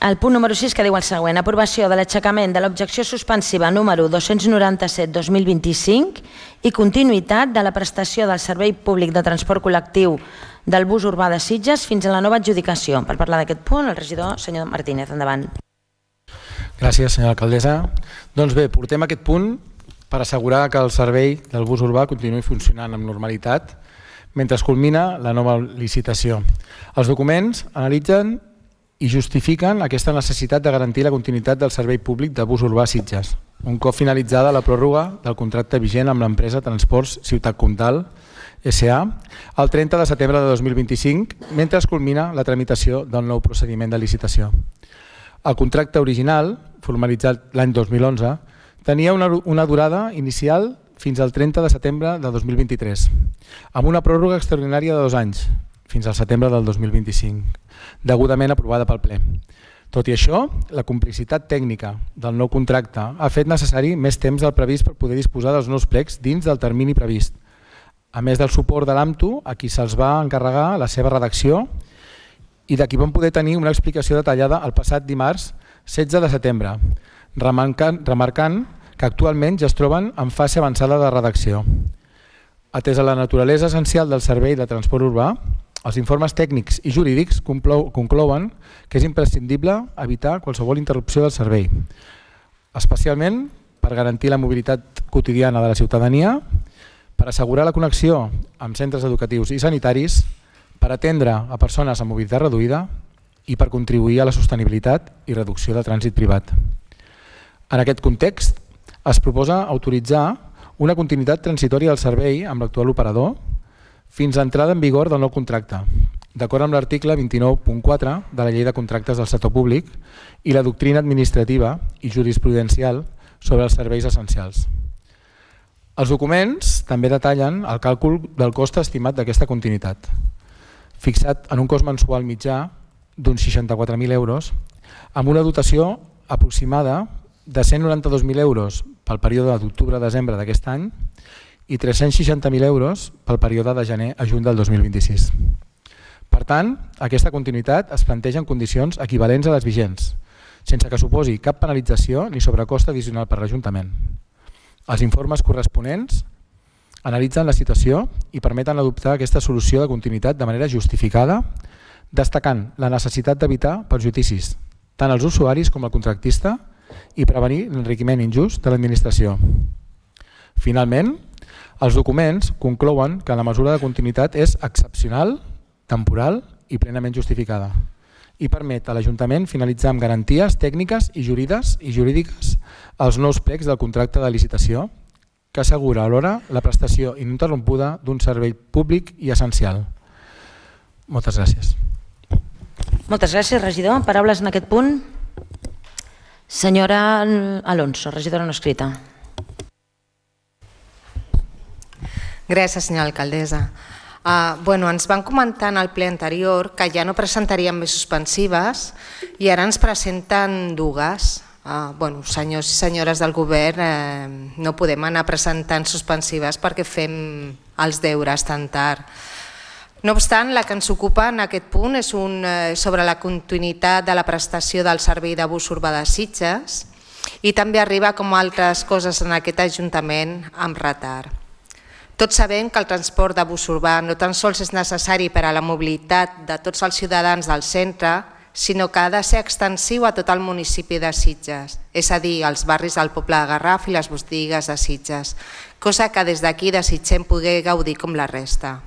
El punt número 6 que diu el següent: aprovació de l'aixecament de l'objecció suspensiva número 297/2025 i continuïtat de la prestació del servei públic de transport col·lectiu del bus urbà de Sitges fins a la nova adjudicació. Per parlar d'aquest punt, el regidor senyor Martínez, endavant. Gràcies, senyora alcaldessa. Doncs bé, portem aquest punt per assegurar que el servei del bus urbà continuï funcionant amb normalitat mentre es culmina la nova licitació. Els documents analitzen i justifiquen aquesta necessitat de garantir la continuïtat del servei públic de bus urbà a Sitges, un cop finalitzada la pròrroga del contracte vigent amb l'empresa Transports Ciutat Comtal S.A. el 30 de setembre de 2025, mentre es culmina la tramitació del nou procediment de licitació. El contracte original, formalitzat l'any 2011, tenia una durada inicial fins al 30 de setembre de 2023, amb una pròrroga extraordinària de 2 anys, fins al setembre del 2025, degudament aprovada pel ple. Tot i això, la complicitat tècnica del nou contracte ha fet necessari més temps del previst per poder disposar dels nous plecs dins del termini previst, a més del suport de l'AMTU, a qui se'ls va encarregar la seva redacció i de qui vam poder tenir una explicació detallada el passat dimarts 16 de setembre, remarcant que actualment ja es troben en fase avançada de redacció. Atès a la naturalesa essencial del servei de transport urbà, els informes tècnics i jurídics conclouen que és imprescindible evitar qualsevol interrupció del servei, especialment per garantir la mobilitat quotidiana de la ciutadania, per assegurar la connexió amb centres educatius i sanitaris, per atendre a persones amb mobilitat reduïda i per contribuir a la sostenibilitat i reducció del trànsit privat. En aquest context, es proposa autoritzar una continuïtat transitòria del servei amb l'actual operador fins a l'entrada en vigor del nou contracte, d'acord amb l'article 29.4 de la Llei de Contractes del Sector Públic i la doctrina administrativa i jurisprudencial sobre els serveis essencials. Els documents també detallen el càlcul del cost estimat d'aquesta continuïtat, fixat en un cost mensual mitjà d'uns 64.000 euros, amb una dotació aproximada de 192.000 euros pel període d'octubre a desembre d'aquest any i 360.000 euros pel període de gener a juny del 2026. Per tant, aquesta continuïtat es planteja en condicions equivalents a les vigents, sense que suposi cap penalització ni sobrecost addicional per l'Ajuntament. Els informes corresponents analitzen la situació i permeten adoptar aquesta solució de continuïtat de manera justificada, destacant la necessitat d'evitar perjudicis tant als usuaris com al contractista i prevenir l'enriquiment injust de l'administració. Finalment, els documents conclouen que la mesura de continuïtat és excepcional, temporal i plenament justificada i permet a l'Ajuntament finalitzar amb garanties tècniques i jurídiques els nous plecs del contracte de licitació que assegura alhora la prestació ininterrompuda d'un servei públic i essencial. Moltes gràcies. Moltes gràcies, regidor. Paraules en aquest punt? Senyora Alonso, regidora no escrita. Gràcies, senyora alcaldessa. Ens van comentar en el ple anterior que ja no presentaríem més suspensives i ara ens presenten dues. Senyors i senyores del govern, no podem anar presentant suspensives perquè fem els deures tan tard. No obstant, la que ens ocupa en aquest punt és sobre la continuïtat de la prestació del servei de bus urbà de Sitges i també arriba, com altres coses en aquest Ajuntament, amb retard. Tots sabem que el transport de bus urbà no tan sols és necessari per a la mobilitat de tots els ciutadans del centre, sinó que ha de ser extensiu a tot el municipi de Sitges, és a dir, als barris del poble de Garraf i les botigues de Sitges, cosa que des d'aquí desitgem poder gaudir com la resta.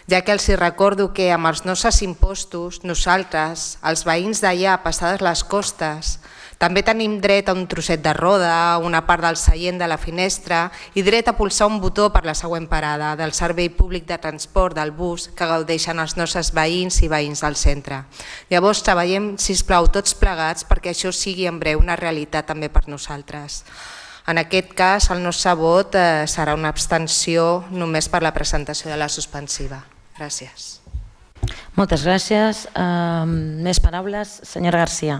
Ja que els recordo que amb els nostres impostos, nosaltres, els veïns d'allà passades les costes, també tenim dret a un trosset de roda, una part del seient de la finestra i dret a pulsar un botó per la següent parada del servei públic de transport del bus que gaudeixen els nostres veïns i veïns del centre. Llavors treballem, sisplau, tots plegats perquè això sigui en breu una realitat també per nosaltres. En aquest cas, el nostre vot serà una abstenció només per la presentació de la suspensiva. Gràcies. Moltes gràcies. Més paraules? Senyora Garcia.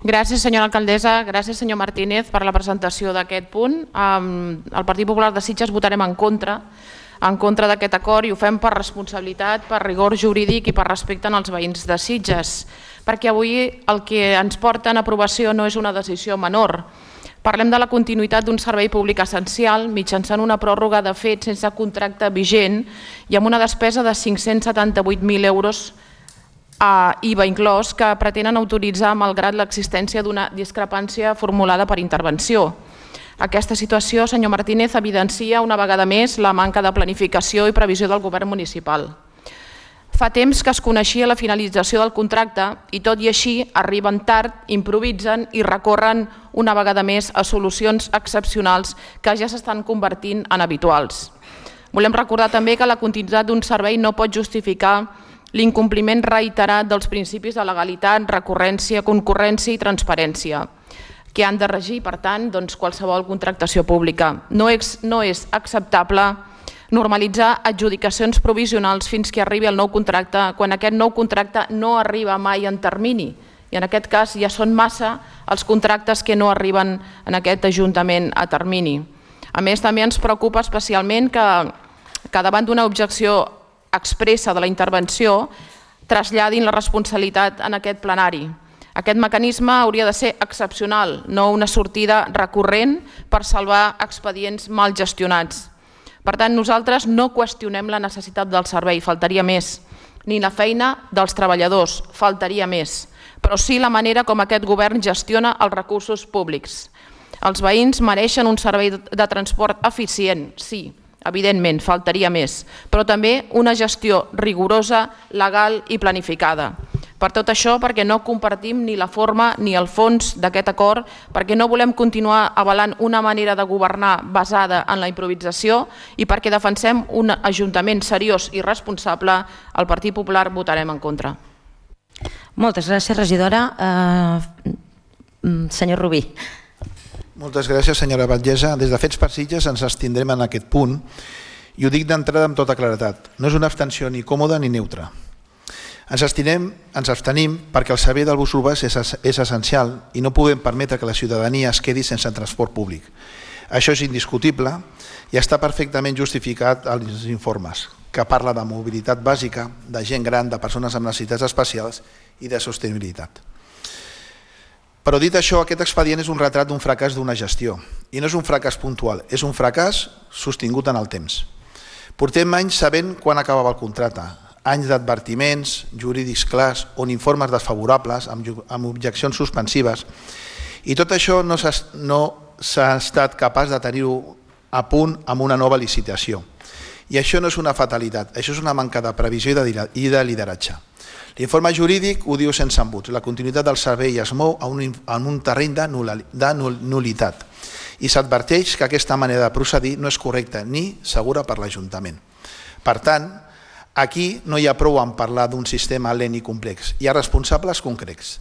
Gràcies, senyora alcaldessa. Gràcies, senyor Martínez, per la presentació d'aquest punt. El Partit Popular de Sitges votarem en contra en contra d'aquest acord i ho fem per responsabilitat, per rigor jurídic i per respecte als veïns de Sitges, perquè avui el que ens porta en aprovació no és una decisió menor. Parlem de la continuïtat d'un servei públic essencial mitjançant una pròrroga de fet sense contracte vigent i amb una despesa de 578.000 euros a IVA inclòs que pretenen autoritzar malgrat l'existència d'una discrepància formulada per intervenció. Aquesta situació, senyor Martínez, evidencia una vegada més la manca de planificació i previsió del govern municipal. Fa temps que es coneixia la finalització del contracte i tot i així arriben tard, improvisen i recorren una vegada més a solucions excepcionals que ja s'estan convertint en habituals. Volem recordar també que la continuïtat d'un servei no pot justificar l'incompliment reiterat dels principis de legalitat, recurrència, concurrència i transparència, que han de regir, per tant, qualsevol contractació pública. No és acceptable normalitzar adjudicacions provisionals fins que arribi el nou contracte, quan aquest nou contracte no arriba mai en termini. I en aquest cas ja són massa els contractes que no arriben en aquest Ajuntament a termini. A més, també ens preocupa especialment que davant d'una objecció expressa de la intervenció traslladin la responsabilitat en aquest plenari. Aquest mecanisme hauria de ser excepcional, no una sortida recurrent per salvar expedients mal gestionats. Per tant, nosaltres no qüestionem la necessitat del servei, faltaria més, ni la feina dels treballadors, faltaria més, però sí la manera com aquest govern gestiona els recursos públics. Els veïns mereixen un servei de transport eficient, sí, evidentment, faltaria més, però també una gestió rigorosa, legal i planificada. Per tot això, perquè no compartim ni la forma ni el fons d'aquest acord, perquè no volem continuar avalant una manera de governar basada en la improvisació i perquè defensem un Ajuntament seriós i responsable, el Partit Popular votarem en contra. Moltes gràcies, regidora. Senyor Rubí. Moltes gràcies, senyora Batllessa. Des de Fets per Sitges ens abstindrem en aquest punt i ho dic d'entrada amb tota claredat. No és una abstenció ni còmoda ni neutra. Ens abstenim perquè el servei del bus urbà és essencial i no podem permetre que la ciutadania es quedi sense transport públic. Això és indiscutible i està perfectament justificat als informes, que parla de mobilitat bàsica, de gent gran, de persones amb necessitats especials i de sostenibilitat. Però dit això, aquest expedient és un retrat d'un fracàs d'una gestió i no és un fracàs puntual, és un fracàs sostingut en el temps. Portem anys sabent quan acabava el contracte, anys d'advertiments jurídics clars on informes desfavorables amb objeccions suspensives i tot això no s'ha estat capaç de tenir-ho a punt amb una nova licitació. I això no és una fatalitat, això és una manca de previsió i de lideratge. L'informe jurídic ho diu sense embuts, la continuïtat del servei es mou en un terreny de nul·litat i s'adverteix que aquesta manera de procedir no és correcta ni segura per l'Ajuntament. Per tant, aquí no hi ha prou en parlar d'un sistema lent i complex, hi ha responsables concrets.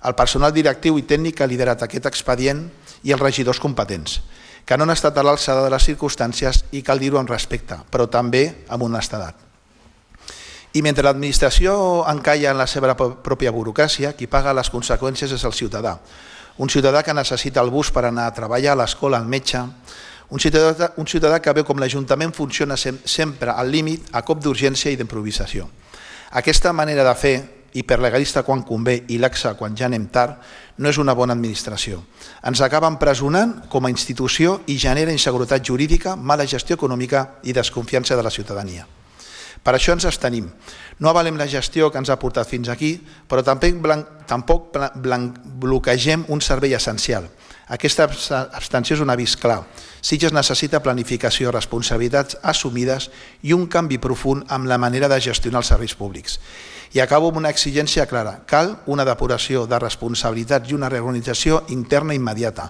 El personal directiu i tècnic que ha liderat aquest expedient i els regidors competents, que no han estat a l'alçada de les circumstàncies i cal dir-ho amb respecte, però també amb honestedat. I mentre l'administració encalla en la seva pròpia burocràcia, qui paga les conseqüències és el ciutadà. Un ciutadà que necessita el bus per anar a treballar, a l'escola, al metge. Un ciutadà que veu com l'Ajuntament funciona sempre al límit, a cop d'urgència i d'improvisació. Aquesta manera de fer, hiperlegalista quan convé i laxa quan ja anem tard, no és una bona administració. Ens acaba empresonant com a institució i genera inseguretat jurídica, mala gestió econòmica i desconfiança de la ciutadania. Per això ens abstenim. No avalem la gestió que ens ha portat fins aquí, però tampoc bloquegem un servei essencial. Aquesta abstenció és un avís clar. Sitges necessita planificació, responsabilitats assumides i un canvi profund amb la manera de gestionar els serveis públics. I acabo amb una exigència clara. Cal una depuració de responsabilitats i una reorganització interna immediata,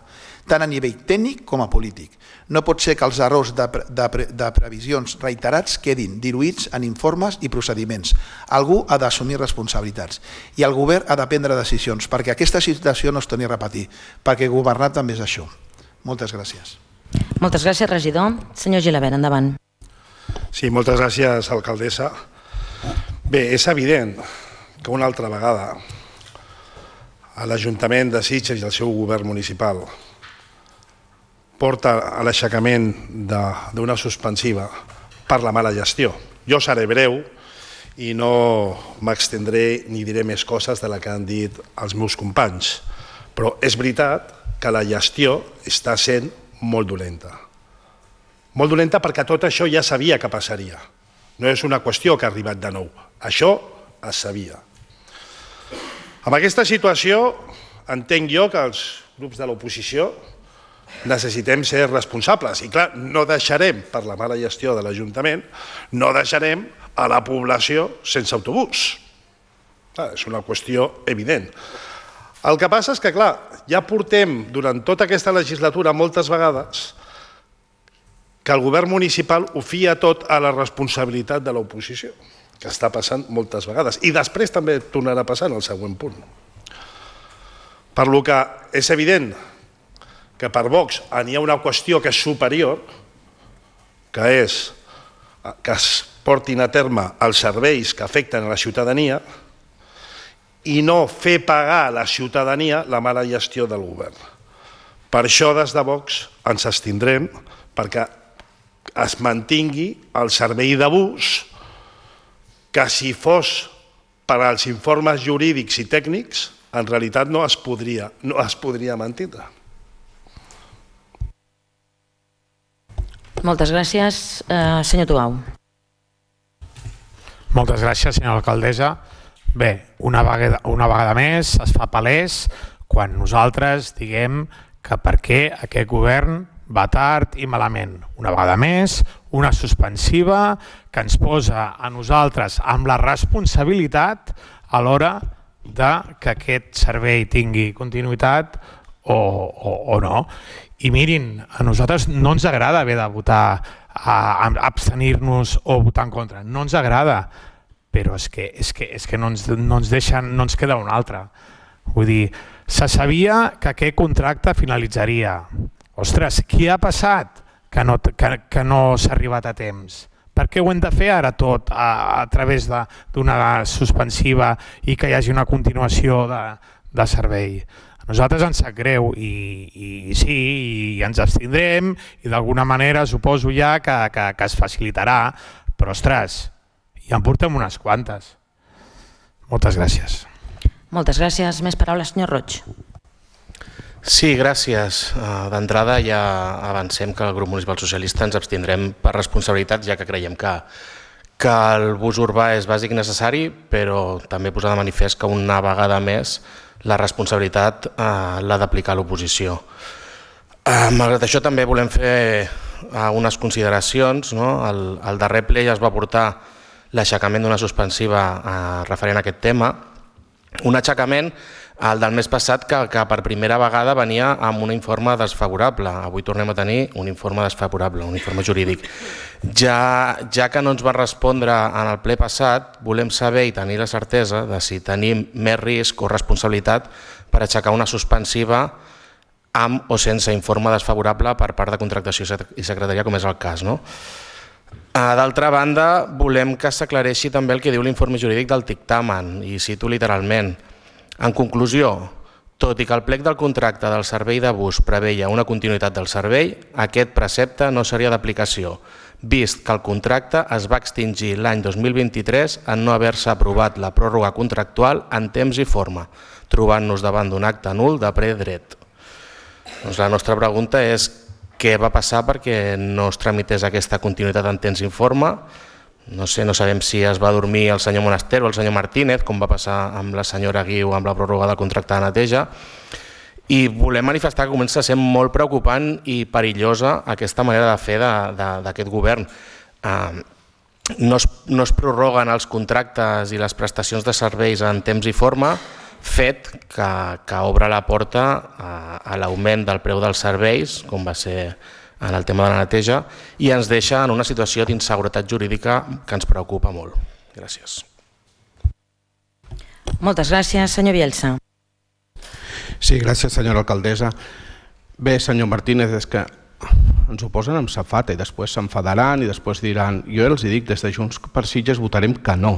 tant a nivell tècnic com a polític. No pot ser que els errors de previsions reiterats quedin diluïts en informes i procediments. Algú ha d'assumir responsabilitats i el govern ha de prendre decisions perquè aquesta situació no es torni a repetir, perquè governar també és això. Moltes gràcies. Moltes gràcies, regidor. Senyor Gilabert, endavant. Sí, moltes gràcies, alcaldessa. Bé, és evident que una altra vegada l'Ajuntament de Sitges i el seu govern municipal porta a l'aixecament d'una suspensiva per la mala gestió. Jo seré breu i no m'extendré ni diré més coses de la que han dit els meus companys, però és veritat que la gestió està sent molt dolenta. Molt dolenta perquè tot això ja sabia que passaria. No és una qüestió que ha arribat de nou. Això es sabia. Amb aquesta situació entenc jo que els grups de l'oposició necessitem ser responsables. I clar, no deixarem, per la mala gestió de l'Ajuntament, no deixarem a la població sense autobús. És una qüestió evident. El que passa és que, clar, ja portem durant tota aquesta legislatura moltes vegades que el govern municipal ho fia tot a la responsabilitat de l'oposició, que està passant moltes vegades. I després també tornarà a passar en el següent punt. Per lo que és evident que per Vox hi ha una qüestió que és superior, que és que es portin a terme els serveis que afecten a la ciutadania i no fer pagar a la ciutadania la mala gestió del govern. Per això des de Vox ens abstindrem perquè es mantingui el servei de bus que si fos per als informes jurídics i tècnics en realitat no es podria mantindre. Moltes gràcies. Senyor Tuau. Moltes gràcies, senyora alcaldessa. Bé, una vegada més es fa palès quan nosaltres diguem que per què aquest govern va tard i malament. Una vegada més, una suspensiva que ens posa a nosaltres amb la responsabilitat a l'hora que aquest servei tingui continuïtat o no. I mirin, a nosaltres no ens agrada haver de votar, abstenir-nos o votar en contra. No ens agrada, però és que no ens deixen, no ens queda una altra. Vull dir, se sabia que aquest contracte finalitzaria. Ostres, què ha passat que no s'ha arribat a temps? Per què ho hem de fer ara tot a través d'una suspensiva i que hi hagi una continuació de servei? A nosaltres ens sap greu i sí, i ens abstindrem i d'alguna manera suposo ja que es facilitarà, però ostres, ja en portem unes quantes. Moltes gràcies. Moltes gràcies. Més paraules, senyor Roig. Sí, gràcies. D'entrada ja avancem que el grup municipal socialista ens abstindrem per responsabilitat, ja que creiem que el bus urbà és bàsic i necessari, però també posar de manifest que una vegada més la responsabilitat l'ha d'aplicar l'oposició. Malgrat això també volem fer unes consideracions. Al darrer ple ja es va portar l'aixecament d'una suspensiva referent a aquest tema, un aixecament el del mes passat que per primera vegada venia amb un informe desfavorable. Avui tornem a tenir un informe desfavorable, un informe jurídic. Ja que no ens va respondre en el ple passat, volem saber i tenir la certesa de si tenim més risc o responsabilitat per aixecar una suspensiva amb o sense informe desfavorable per part de contractació i secretaria, com és el cas. D'altra banda, volem que s'aclareixi també el que diu l'informe jurídic del dictamen, i cito literalment: en conclusió, tot i que el plec del contracte del servei de bus preveia una continuïtat del servei, aquest precepte no seria d'aplicació, vist que el contracte es va extingir l'any 2023 en no haver-se aprovat la pròrroga contractual en temps i forma, trobant-nos davant d'un acte nul de ple dret. La nostra pregunta és què va passar perquè no es tramités aquesta continuïtat en temps i forma. No sabem si es va dormir el senyor Monaster o el senyor Martínez, com va passar amb la senyora Guiu amb la pròrroga del contracte de neteja. I volem manifestar que comença a ser molt preocupant i perillosa aquesta manera de fer d'aquest govern. No es prorroguen els contractes i les prestacions de serveis en temps i forma, fet que obre la porta a l'augment del preu dels serveis, com va ser en el tema de la neteja, i ens deixa en una situació d'inseguretat jurídica que ens preocupa molt. Gràcies. Moltes gràcies. Senyor Bielsa. Sí, gràcies, senyora alcaldessa. Bé, senyor Martínez, és que ens ho posen amb safata i després s'enfadaran i després diran: jo els dic, des de Junts per Sitges votarem que no.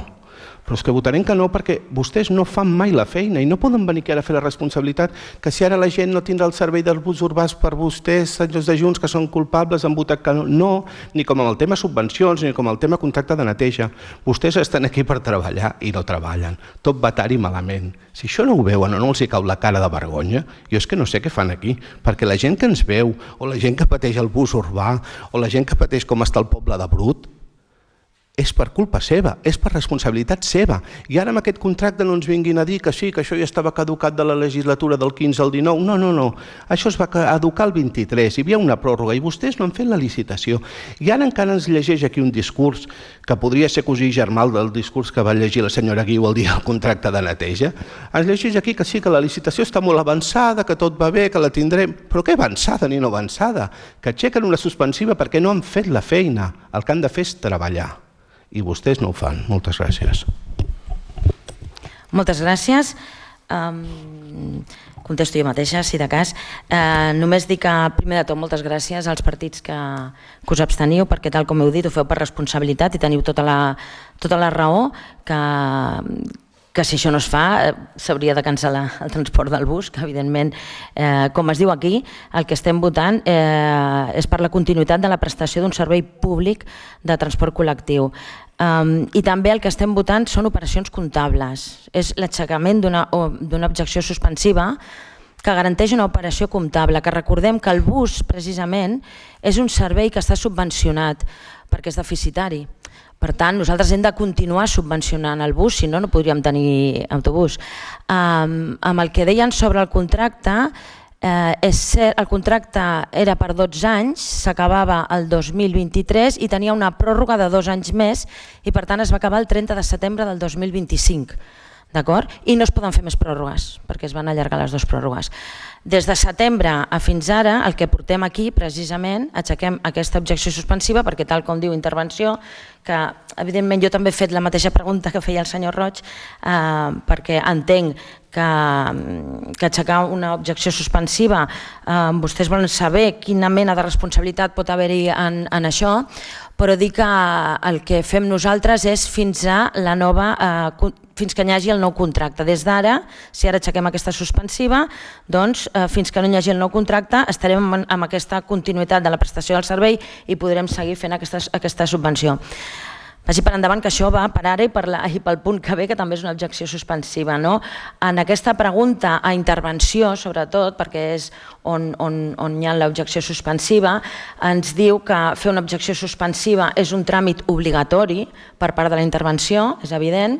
Però és que votarem que no perquè vostès no fan mai la feina i no poden venir aquí ara a fer la responsabilitat que si ara la gent no tindrà el servei dels bus urbans per vostès, senyors de Junts, que són culpables, han votat que no. No, ni com amb el tema subvencions, ni com el tema contracte de neteja. Vostès estan aquí per treballar i no treballen. Tot va tard i malament. Si això no ho veuen o no els hi cau la cara de vergonya, jo és que no sé què fan aquí, perquè la gent que ens veu, o la gent que pateix el bus urbà, o la gent que pateix com està el poble de Brut, és per culpa seva, és per responsabilitat seva. I ara amb aquest contracte no ens vinguin a dir que sí, que això ja estava caducat de la legislatura del 15 al 19. No, no, no. Això es va caducar el 23. Hi havia una pròrroga i vostès no han fet la licitació. I ara encara ens llegeix aquí un discurs que podria ser cosí germà del discurs que va llegir la senyora Guiu el dia del contracte de neteja. Ens llegeix aquí que sí, que la licitació està molt avançada, que tot va bé, que la tindrem. Però què avançada ni no avançada? Que aixequen una suspensiva perquè no han fet la feina. El que han de fer és treballar. I vostès no ho fan. Moltes gràcies. Moltes gràcies. Contesto jo mateixa, si de cas. Només dic que, primer de tot, moltes gràcies als partits que us absteniu, perquè tal com heu dit, ho feu per responsabilitat i teniu tota la raó, que si això no es fa s'hauria de cancel·lar el transport del bus, que evidentment, com es diu aquí, el que estem votant és per la continuïtat de la prestació d'un servei públic de transport col·lectiu. I també el que estem votant són operacions comptables. És l'aixecament d'una objecció suspensiva que garanteix una operació comptable, que recordem que el bus, precisament, és un servei que està subvencionat perquè és deficitari. Per tant, nosaltres hem de continuar subvencionant el bus, si no, no podríem tenir autobús. Amb el que deien sobre el contracte, és cert, el contracte era per 12 anys, s'acabava el 2023 i tenia una pròrroga de 2 anys més i per tant es va acabar el 30 de setembre del 2025. D'acord? I no es poden fer més pròrrogues, perquè es van allargar les 2 pròrrogues. Des de setembre a fins ara, el que portem aquí, precisament, aixequem aquesta objecció suspensiva, perquè tal com diu intervenció, que evidentment jo també he fet la mateixa pregunta que feia el senyor Roig, perquè entenc que aixecar una objecció suspensiva, vostès volen saber quina mena de responsabilitat pot haver-hi en això, però dir que el que fem nosaltres és fins que hi hagi el nou contracte. Des d'ara, si ara aixequem aquesta suspensiva, doncs fins que no hi hagi el nou contracte estarem amb aquesta continuïtat de la prestació del servei i podrem seguir fent aquesta subvenció. Vagi per endavant que això va per ara i pel punt que ve, que també és una objecció suspensiva. En aquesta pregunta a intervenció, sobretot, perquè és on hi ha l'objecció suspensiva, ens diu que fer una objecció suspensiva és un tràmit obligatori per part de la intervenció, és evident,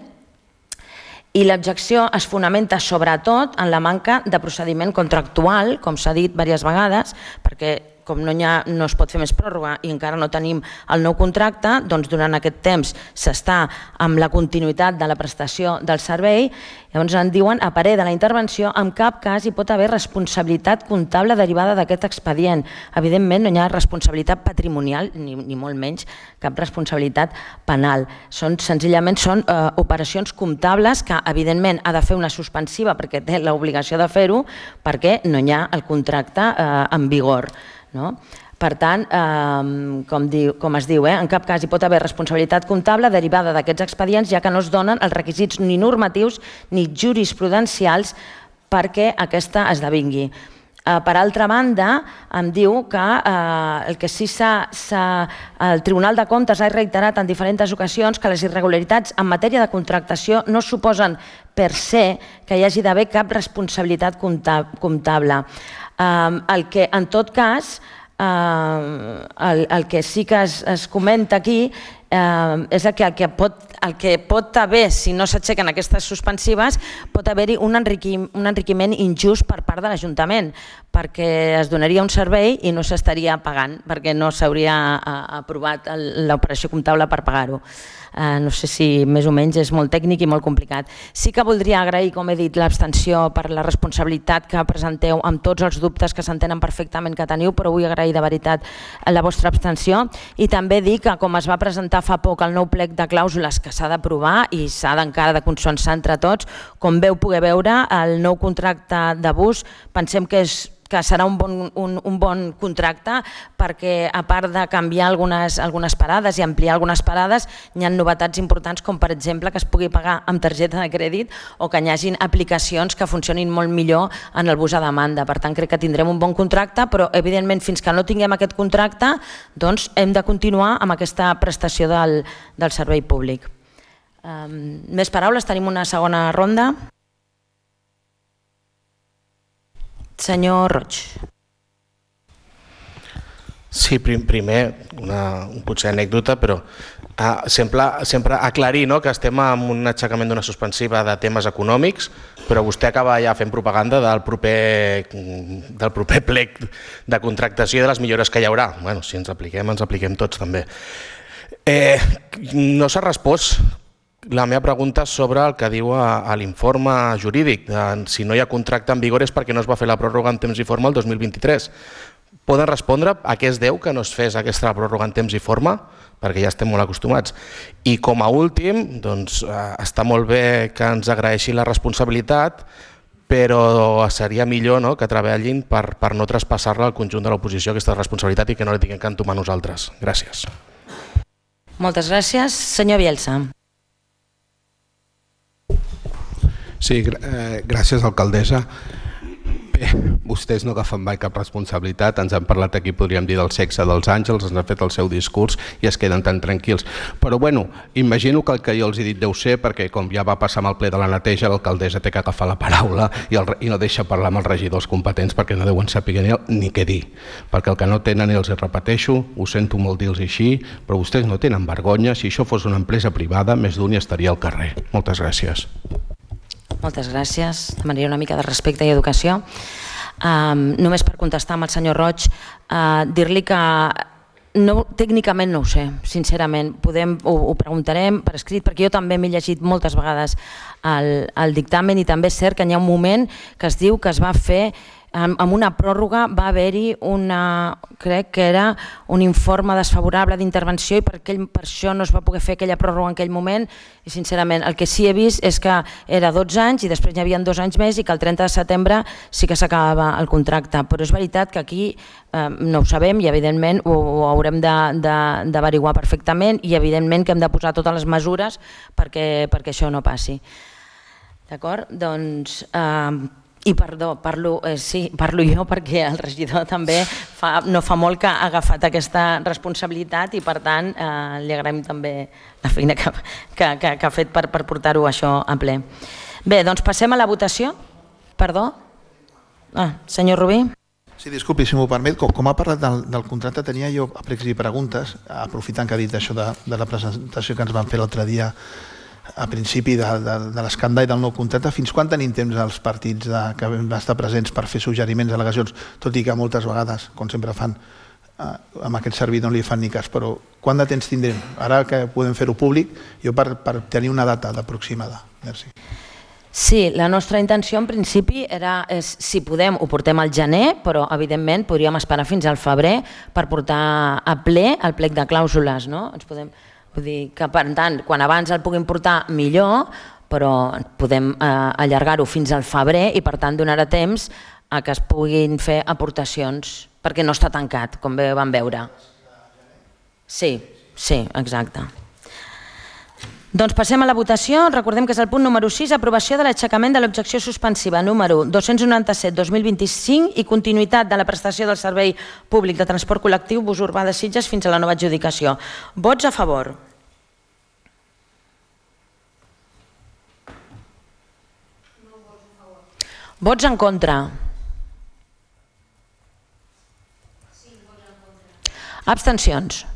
i l'objecció es fonamenta sobretot en la manca de procediment contractual, com s'ha dit diverses vegades, perquè com no es pot fer més pròrroga i encara no tenim el nou contracte, doncs durant aquest temps s'està amb la continuïtat de la prestació del servei. Llavors en diuen, a parer de la intervenció, en cap cas hi pot haver responsabilitat comptable derivada d'aquest expedient. Evidentment no hi ha responsabilitat patrimonial, ni molt menys cap responsabilitat penal. Senzillament són operacions comptables que evidentment ha de fer una suspensiva perquè té l'obligació de fer-ho perquè no hi ha el contracte en vigor. Per tant, com es diu, en cap cas hi pot haver responsabilitat comptable derivada d'aquests expedients, ja que no es donen els requisits ni normatius ni jurisprudencials perquè aquesta esdevingui. Per altra banda, em diu que el que sí el Tribunal de Comptes ha reiterat en diferents ocasions que les irregularitats en matèria de contractació no suposen per se que hi hagi d'haver cap responsabilitat comptable. El que, en tot cas, el que sí que es comenta aquí és el que pot haver, si no s'aixequen aquestes suspensives, pot haver-hi un enriquiment injust per part de l'Ajuntament, perquè es donaria un servei i no s'estaria pagant, perquè no s'hauria aprovat l'operació comptable per pagar-ho. No sé si més o menys és molt tècnic i molt complicat. Sí que voldria agrair, com he dit, l'abstenció per la responsabilitat que presenteu amb tots els dubtes que s'entenen perfectament que teniu, però vull agrair de veritat la vostra abstenció i també dir que com es va presentar fa poc el nou plec de clàusules que s'ha d'aprovar i s'ha encara de consensuar entre tots, com veu poder veure, el nou contracte de bus pensem que és que serà un bon contracte, perquè a part de canviar algunes parades i ampliar algunes parades, hi ha novetats importants com per exemple que es pugui pagar amb targeta de crèdit o que hi hagin aplicacions que funcionin molt millor en el bus a demanda. Per tant, crec que tindrem un bon contracte, però evidentment fins que no tinguem aquest contracte doncs hem de continuar amb aquesta prestació del servei públic. Més paraules, tenim una segona ronda. Senyor Roig. Sí, primer, potser anècdota, però sempre aclarir que estem en un aixecament d'una suspensiva de temes econòmics, però vostè acaba ja fent propaganda del proper plec de contractació i de les millores que hi haurà. Bueno, si ens apliquem tots també. No s'ha respost la meva pregunta sobre el que diu a l'informe jurídic. Si no hi ha contracte en vigor és perquè no es va fer la pròrroga en temps i forma el 2023. Poden respondre a què es deu que no es fes aquesta pròrroga en temps i forma? Perquè ja estem molt acostumats. I com a últim, doncs, està molt bé que ens agraeixi la responsabilitat, però seria millor que treballin per no traspassar-la al conjunt de l'oposició aquesta responsabilitat i que no la tinguem que entomar nosaltres. Gràcies. Moltes gràcies. Senyor Bielsa. Sí, gràcies, alcaldessa. Bé, vostès no agafen mai cap responsabilitat, ens han parlat aquí, podríem dir, del sexe dels àngels, ens han fet el seu discurs i es queden tan tranquils. Però bueno, imagino que el que jo els he dit deu ser perquè com ja va passar amb el ple de la neteja, l'alcaldessa té que agafar la paraula i no deixa parlar amb els regidors competents perquè no deuen saber ni què dir. Perquè el que no tenen, i els repeteixo, ho sento molt dir-los així, però vostès no tenen vergonya. Si això fos una empresa privada, més d'un hi estaria al carrer. Moltes gràcies. Moltes gràcies. Demanaria una mica de respecte i educació. Només per contestar amb el senyor Roig, dir-li que tècnicament no ho sé, sincerament. Ho preguntarem per escrit, perquè jo també m'he llegit moltes vegades el dictamen i també és cert que hi ha un moment que es diu que es va fer amb una pròrroga, va haver-hi crec que era un informe desfavorable d'intervenció i per això no es va poder fer aquella pròrroga en aquell moment i sincerament el que sí he vist és que era 12 anys i després hi havia 2 anys més i que el 30 de setembre sí que s'acabava el contracte, però és veritat que aquí no ho sabem i evidentment ho haurem d'averiguar perfectament i evidentment que hem de posar totes les mesures perquè això no passi. D'acord? Doncs... I perdó, parlo jo perquè el regidor també no fa molt que ha agafat aquesta responsabilitat i per tant li agraïm també la feina que ha fet per portar-ho això a ple. Bé, doncs passem a la votació. Perdó? Senyor Rubí. Sí, disculpi, si m'ho permet, com ha parlat del contracte tenia jo pregs i preguntes, aprofitant que ha dit això de la presentació que ens van fer l'altre dia a principi de l'escàndol i del nou contracte, fins quan tenim temps els partits que vam estar presents per fer suggeriments, al·legacions, tot i que moltes vegades, com sempre fan, amb aquest servidor no li fan ni cas, però quant de temps tindrem? Ara que podem fer-ho públic, jo per tenir una data aproximada. Merci. Sí, la nostra intenció en principi era, si podem, ho portem al gener, però evidentment podríem esperar fins al febrer per portar a ple el plec de clàusules, no? Ens podem... Vull dir que, per tant, quan abans el puguin portar millor, però podem allargar-ho fins al febrer i, per tant, donarà temps a que es puguin fer aportacions, perquè no està tancat, com bé vam veure. Sí, exacte. Doncs passem a la votació. Recordem que és el punt número 6, aprovació de l'aixecament de l'objecció suspensiva número 297-2025 i continuïtat de la prestació del servei públic de transport col·lectiu bus urbà de Sitges fins a la nova adjudicació. Vots a favor? Vots en contra? Abstencions?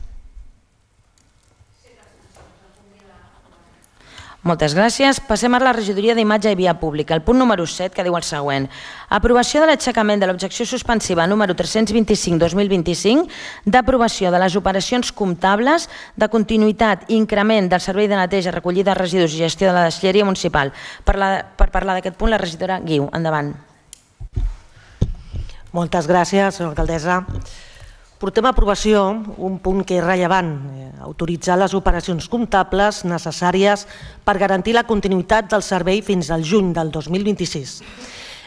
Moltes gràcies. Passem a la regidoria d'Imatge i Via Pública. El punt número 7, que diu el següent. Aprovació de l'aixecament de l'objecció suspensiva número 325-2025 d'aprovació de les operacions comptables de continuïtat i increment del servei de neteja, recollida de residus i gestió de la deixalleria municipal. Per parlar d'aquest punt, la regidora Guiu. Endavant. Moltes gràcies, senyora alcaldessa. Portem a aprovació un punt que és rellevant, autoritzar les operacions comptables necessàries per garantir la continuïtat del servei fins al juny del 2026.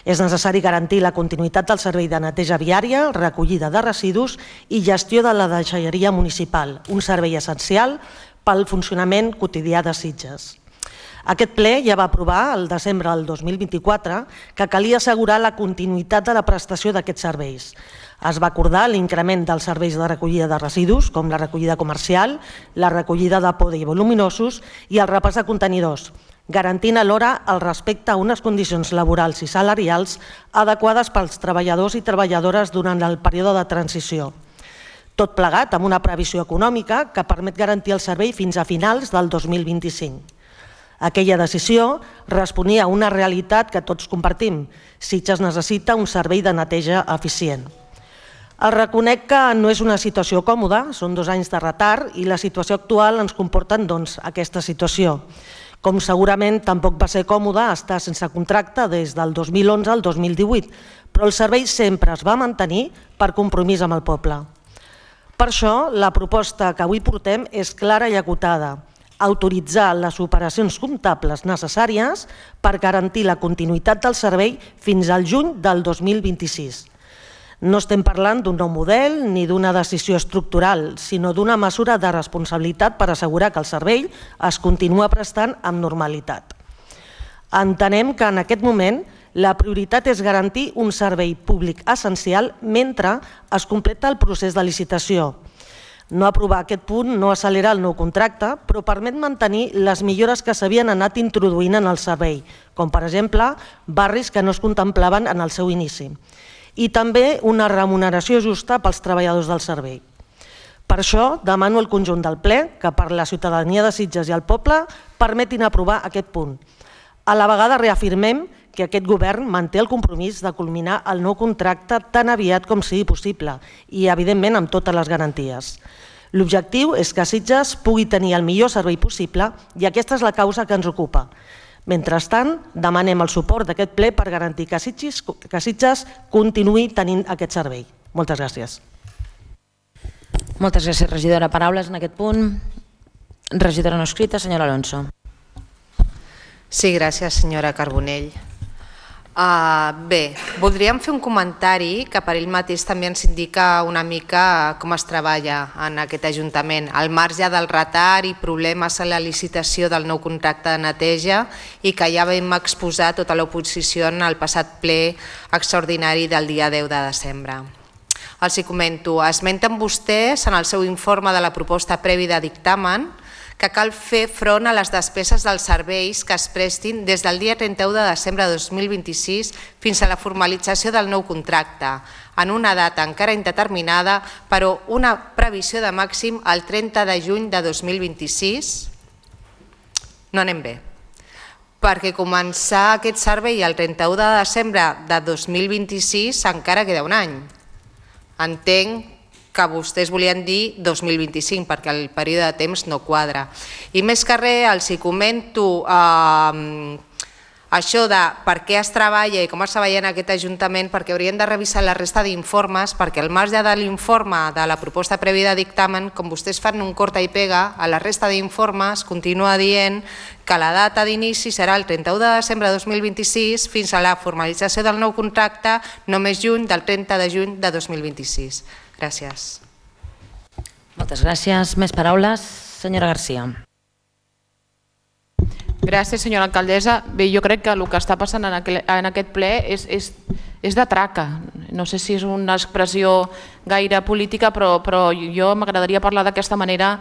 És necessari garantir la continuïtat del servei de neteja viària, recollida de residus i gestió de la deixalleria municipal, un servei essencial pel funcionament quotidià de Sitges. Aquest ple ja va aprovar el desembre del 2024 que calia assegurar la continuïtat de la prestació d'aquests serveis. Es va acordar l'increment dels serveis de recollida de residus, com la recollida comercial, la recollida de poda i voluminosos i el repàs de contenidors, garantint alhora el respecte a unes condicions laborals i salarials adequades pels treballadors i treballadores durant el període de transició. Tot plegat amb una previsió econòmica que permet garantir el servei fins a finals del 2025. Aquella decisió responia a una realitat que tots compartim. Sitges necessita un servei de neteja eficient. El reconec que no és una situació còmoda, són 2 anys de retard i la situació actual ens comporta aquesta situació. Com segurament tampoc va ser còmode estar sense contracte des del 2011 al 2018, però el servei sempre es va mantenir per compromís amb el poble. Per això, la proposta que avui portem és clara i acotada: autoritzar les operacions comptables necessàries per garantir la continuïtat del servei fins al juny del 2026. No estem parlant d'un nou model ni d'una decisió estructural, sinó d'una mesura de responsabilitat per assegurar que el servei es continua prestant amb normalitat. Entenem que en aquest moment la prioritat és garantir un servei públic essencial mentre es completa el procés de licitació. No aprovar aquest punt no accelera el nou contracte, però permet mantenir les millores que s'havien anat introduint en el servei, com per exemple barris que no es contemplaven en el seu inici, i també una remuneració justa pels treballadors del servei. Per això demano al conjunt del ple que per la ciutadania de Sitges i el poble permetin aprovar aquest punt. A la vegada reafirmem que aquest govern manté el compromís de culminar el nou contracte tan aviat com sigui possible i, evidentment, amb totes les garanties. L'objectiu és que Sitges pugui tenir el millor servei possible i aquesta és la causa que ens ocupa. Mentrestant, demanem el suport d'aquest ple per garantir que Sitges continuï tenint aquest servei. Moltes gràcies. Moltes gràcies, regidora. Paraules en aquest punt. Regidora no escrita, senyora Alonso. Sí, gràcies, senyora Carbonell. Bé, voldríem fer un comentari que per ell mateix també ens indica una mica com es treballa en aquest Ajuntament, al marge del retard i problemes a la licitació del nou contracte de neteja i que ja vam exposar tota l'oposició en el passat ple extraordinari del dia 10 de desembre. Els hi comento, esmenten vostès en el seu informe de la proposta previ de dictamen que cal fer front a les despeses dels serveis que es prestin des del dia 31 de desembre de 2026 fins a la formalització del nou contracte, en una data encara indeterminada, però una previsió de màxim el 30 de juny de 2026. No anem bé, perquè començar aquest servei el 31 de desembre de 2026 encara queda un any. Entenc que vostès volien dir 2025 perquè el període de temps no quadra. I més que res els hi comento això de per què es treballa i com es treballa en aquest Ajuntament, perquè haurien de revisar la resta d'informes, perquè al marge de l'informe de la proposta prèvia de dictamen, com vostès fan un corta i pega, a la resta d'informes continua dient que la data d'inici serà el 31 de desembre de 2026 fins a la formalització del nou contracte no més lluny del 30 de juny de 2026. Gràcies. Moltes gràcies. Més paraules? Senyora Garcia. Gràcies, senyora alcaldessa. Bé, jo crec que el que està passant en aquest ple és de traca. No sé si és una expressió gaire política, però jo m'agradaria parlar d'aquesta manera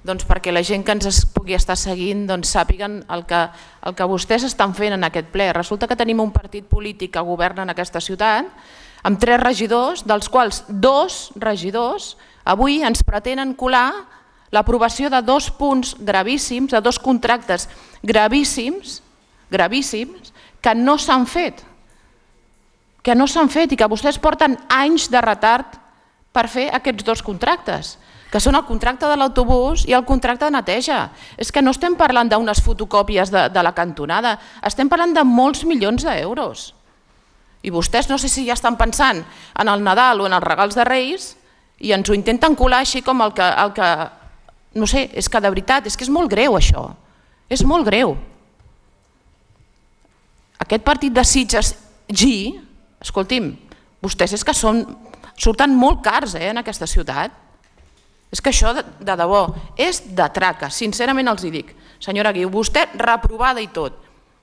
perquè la gent que ens pugui estar seguint sàpiguen el que vostès estan fent en aquest ple. Resulta que tenim un partit polític que governa en aquesta ciutat amb 3 regidors, dels quals 2 regidors avui ens pretenen colar l'aprovació de 2 punts gravíssims, de 2 contractes gravíssims, que no s'han fet. I que vostès porten anys de retard per fer aquests 2 contractes, que són el contracte de l'autobús i el contracte de neteja. És que no estem parlant d'unes fotocòpies de la cantonada, estem parlant de molts milions d'euros. I vostès no sé si ja estan pensant en el Nadal o en els regals de Reis i ens ho intenten colar així com el que... No sé, és que de veritat, és que és molt greu això. És molt greu. Aquest partit de Sitges escolti'm, vostès és que surten molt cars en aquesta ciutat. És que això, de debò, és de traca, sincerament els hi dic. Senyora Guiu, vostè reprovada i tot.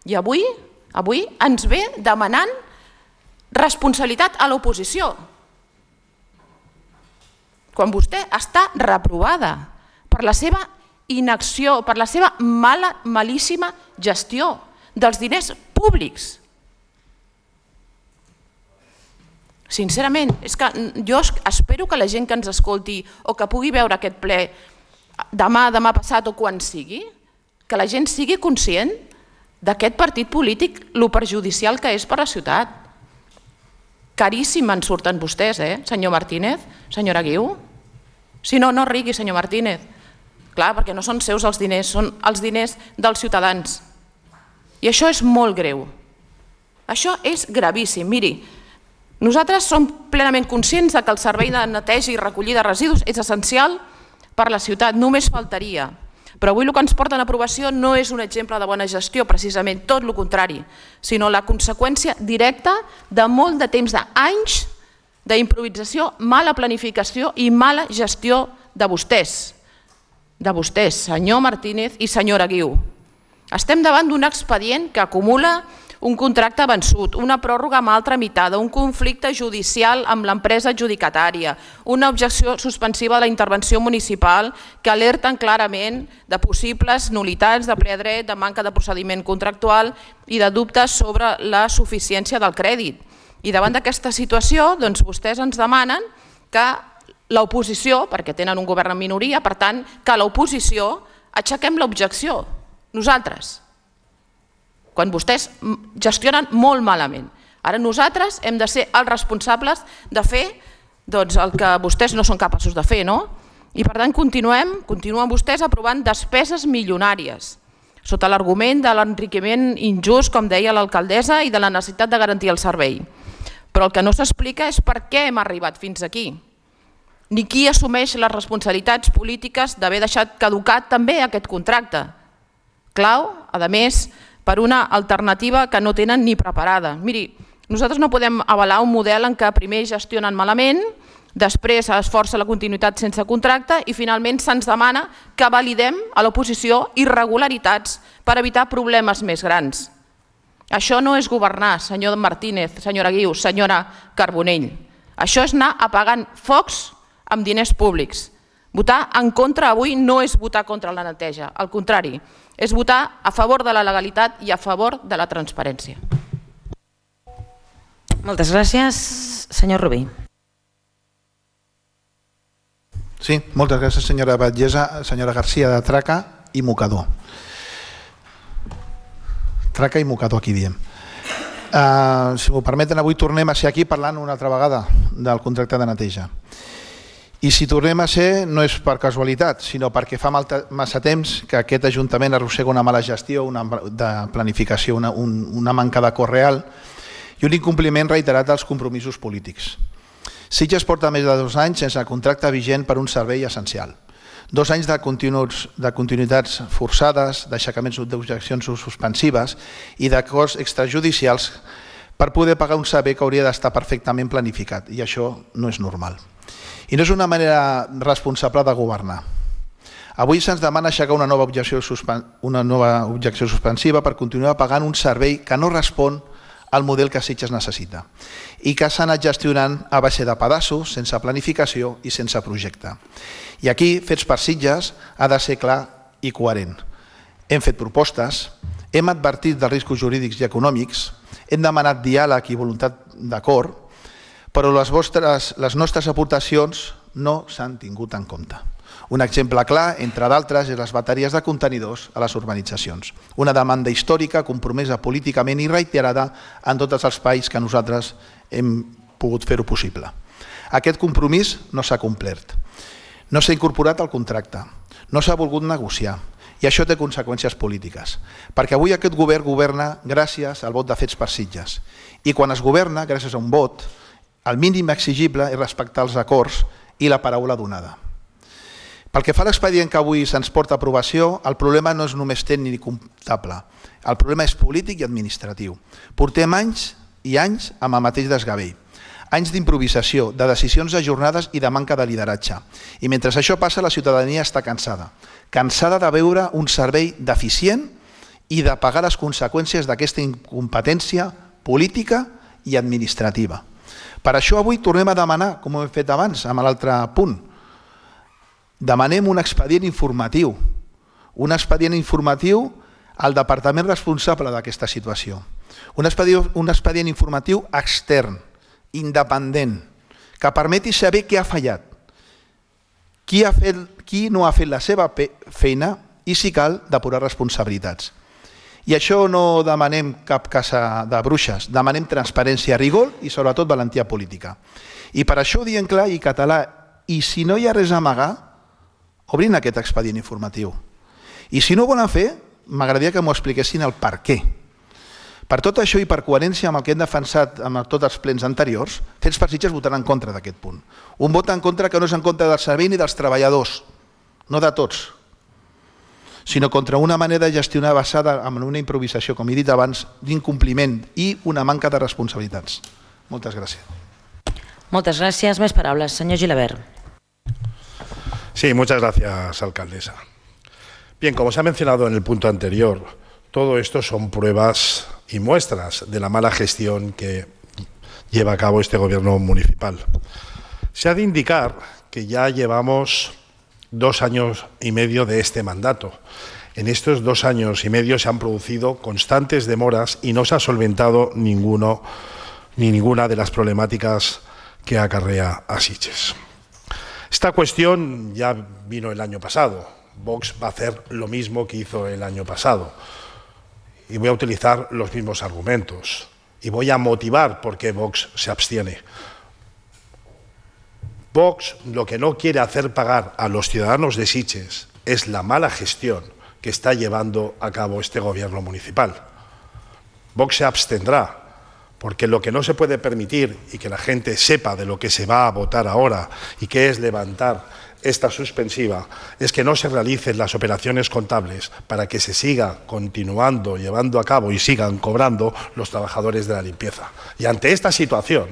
I avui ens ve demanant responsabilitat a l'oposició. Quan vostè està reprovada per la seva inacció, per la seva malíssima gestió dels diners públics. Sincerament, és que jo espero que la gent que ens escolti o que pugui veure aquest ple demà passat o quan sigui, que la gent sigui conscient d'aquest partit polític, lo perjudicial que és per a la ciutat. Caríssim en surten vostès, senyor Martínez, senyora Guiu. Si no, no rigui, senyor Martínez. Clar, perquè no són seus els diners, són els diners dels ciutadans. I això és molt greu. Això és gravíssim. Miri, nosaltres som plenament conscients que el servei de neteja i recollida de residus és essencial per a la ciutat, només faltaria. Però avui el que ens porta en aprovació no és un exemple de bona gestió, precisament tot el contrari, sinó la conseqüència directa de molt de temps, d'anys d'improvisació, mala planificació i mala gestió de vostès. De vostès, senyor Martínez i senyora Guiu. Estem davant d'un expedient que acumula un contracte vençut, una pròrroga mal tramitada, un conflicte judicial amb l'empresa adjudicatària, una objecció suspensiva de la intervenció municipal que alerten clarament de possibles nul·litats de ple dret, de manca de procediment contractual i de dubtes sobre la suficiència del crèdit. I davant d'aquesta situació, doncs vostès ens demanen que l'oposició, perquè tenen un govern en minoria, per tant, que l'oposició aixequem l'objecció, nosaltres, quan vostès gestionen molt malament. Ara nosaltres hem de ser els responsables de fer el que vostès no són capaços de fer, no? I per tant continuen vostès aprovant despeses milionàries, sota l'argument de l'enriquiment injust, com deia l'alcaldessa, i de la necessitat de garantir el servei. Però el que no s'explica és per què hem arribat fins aquí, ni qui assumeix les responsabilitats polítiques d'haver deixat caducat també aquest contracte. Clau, a més, per una alternativa que no tenen ni preparada. Miri, nosaltres no podem avalar un model en què primer gestionen malament, després es força la continuïtat sense contracte i finalment se'ns demana que validem a l'oposició irregularitats per evitar problemes més grans. Això no és governar, senyor Martínez, senyora Guiu, senyora Carbonell. Això és anar apagant focs amb diners públics. Votar en contra avui no és votar contra la neteja, al contrari, és votar a favor de la legalitat i a favor de la transparència. Moltes gràcies. Senyor Rubí. Sí, moltes gràcies, senyora Batllessa, senyora Garcia, de Traca i Mocador. Traca i Mocador, aquí diem. Si m'ho permeten, avui tornem a ser aquí parlant una altra vegada del contracte de neteja. I si tornem a ser, no és per casualitat, sinó perquè fa massa temps que aquest Ajuntament arrossega una mala gestió, de planificació, una manca d'acord real i un incompliment reiterat dels compromisos polítics. Sitges porta més de 2 anys sense contracte vigent per un servei essencial. 2 anys de continuïtats forçades, d'aixecaments d'objeccions suspensives i d'acords extrajudicials per poder pagar un servei que hauria d'estar perfectament planificat, i això no és normal. I no és una manera responsable de governar. Avui se'ns demana aixecar una nova objecció suspensiva per continuar pagant un servei que no respon al model que Sitges necessita i que s'ha anat gestionant a base de pedaços, sense planificació i sense projecte. I aquí, Fets per Sitges ha de ser clar i coherent. Hem fet propostes, hem advertit dels riscos jurídics i econòmics, hem demanat diàleg i voluntat d'acord, però les nostres aportacions no s'han tingut en compte. Un exemple clar, entre d'altres, és les bateries de contenidors a les urbanitzacions. Una demanda històrica, compromesa políticament i reiterada en tots els espais que nosaltres hem pogut fer-ho possible. Aquest compromís no s'ha complert. No s'ha incorporat al contracte, no s'ha volgut negociar, i això té conseqüències polítiques, perquè avui aquest govern governa gràcies al vot de Fets per Sitges, i quan es governa gràcies a un vot, el mínim exigible és respectar els acords i la paraula donada. Pel que fa a l'expedient que avui se'ns porta a aprovació, el problema no és només tècnic ni comptable, el problema és polític i administratiu. Portem anys i anys amb el mateix desgavell. Anys d'improvisació, de decisions ajornades i de manca de lideratge. I mentre això passa, la ciutadania està cansada. Cansada de veure un servei deficient i de pagar les conseqüències d'aquesta incompetència política i administrativa. Per això avui tornem a demanar, com ho hem fet abans amb l'altre punt, demanem un expedient informatiu. Un expedient informatiu al departament responsable d'aquesta situació. Un expedient informatiu extern, independent, que permeti saber què ha fallat, qui no ha fet la seva feina i, si cal, depurar responsabilitats. I això no demanem cap caça de bruixes, demanem transparència, rigor i sobretot valentia política. I per això ho diem clar i català, i si no hi ha res a amagar, obrin aquest expedient informatiu. I si no ho volen fer, m'agradaria que m'ho expliquessin el per què. Per tot això i per coherència amb el que hem defensat en tots els plens anteriors, Fets per Sitges votaran en contra d'aquest punt. Un vot en contra que no és en contra del servei ni dels treballadors, no de tots, sinó contra una manera de gestionar basada en una improvisació, com he dit abans, d'incompliment i una manca de responsabilitats. Moltes gràcies. Moltes gràcies. Més paraules. Senyor Gilabert. Sí, muchas gracias, alcaldesa. Bien, como se ha mencionado en el punto anterior, todo esto son pruebas y muestras de la mala gestión que lleva a cabo este gobierno municipal. Se ha de indicar que ya llevamos 2 años y medio de este mandato. En estos 2 años y medio se han producido constantes demoras y no se ha solventado ninguna de las problemáticas que acarrea a Sitges. Esta cuestión ya vino el año pasado. Vox va a hacer lo mismo que hizo el año pasado. Y voy a utilizar los mismos argumentos. Y voy a motivar por qué Vox se abstiene. Vox lo que no quiere hacer pagar a los ciudadanos de Sitges es la mala gestión que está llevando a cabo este gobierno municipal. Vox se abstendrá porque lo que no se puede permitir y que la gente sepa de lo que se va a votar ahora y que es levantar esta suspensiva es que no se realicen las operaciones contables para que se siga continuando, llevando a cabo y sigan cobrando los trabajadores de la limpieza. Y ante esta situación,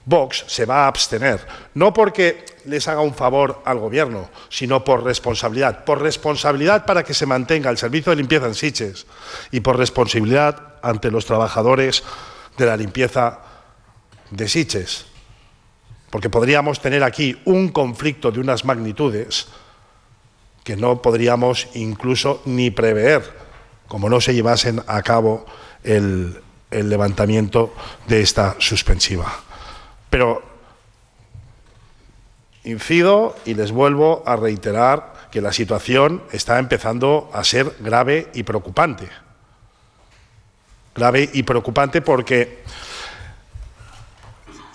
Vox se va a abstener, no porque les haga un favor al gobierno, sino por responsabilidad para que se mantenga el servicio de limpieza en Sitges y por responsabilidad ante los trabajadores de la limpieza de Sitges. Porque podríamos tener aquí un conflicto de unas magnitudes que no podríamos incluso ni prever, como no se llevasen a cabo el levantamiento de esta suspensiva. Pero incido y les vuelvo a reiterar que la situación está empezando a ser grave y preocupante. Grave y preocupante porque...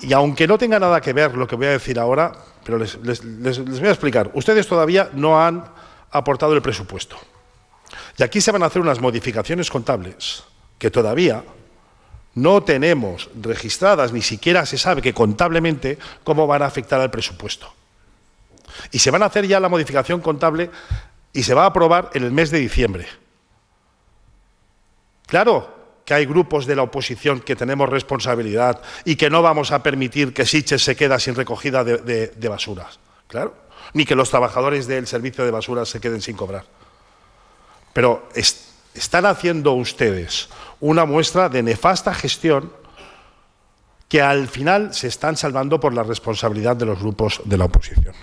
Y aunque no tenga nada que ver lo que voy a decir ahora, pero les voy a explicar. Ustedes todavía no han aportado el presupuesto. Y aquí se van a hacer unas modificaciones contables que todavía no tenemos registradas, ni siquiera se sabe que contablemente cómo van a afectar al presupuesto. Y se van a hacer ya la modificación contable y se va a aprobar en el mes de diciembre. Claro que hay grupos de la oposición que tenemos responsabilidad y que no vamos a permitir que Sitges se quede sin recogida de basuras, claro, ni que los trabajadores del servicio de basuras se queden sin cobrar. Pero están haciendo ustedes una muestra de nefasta gestión que al final se están salvando por la responsabilidad de los grupos de la oposición.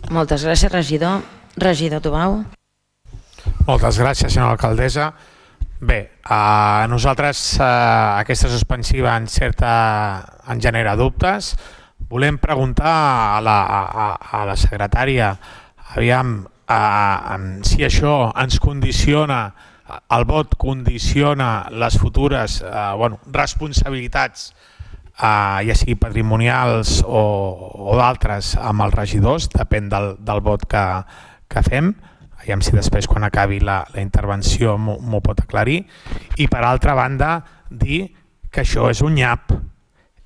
Moltes gràcies, regidor. Regidor Tubau. Moltes gràcies, senyora alcaldessa. Bé, a nosaltres aquesta suspensiva en genera dubtes. Volem preguntar a la secretària aviam si això ens condiciona, el vot condiciona les futures responsabilitats, ja sigui patrimonials o d'altres, amb els regidors, depèn del vot que fem. Aviam si després, quan acabi la intervenció, m'ho pot aclarir. I, per altra banda, dir que això és un nyap.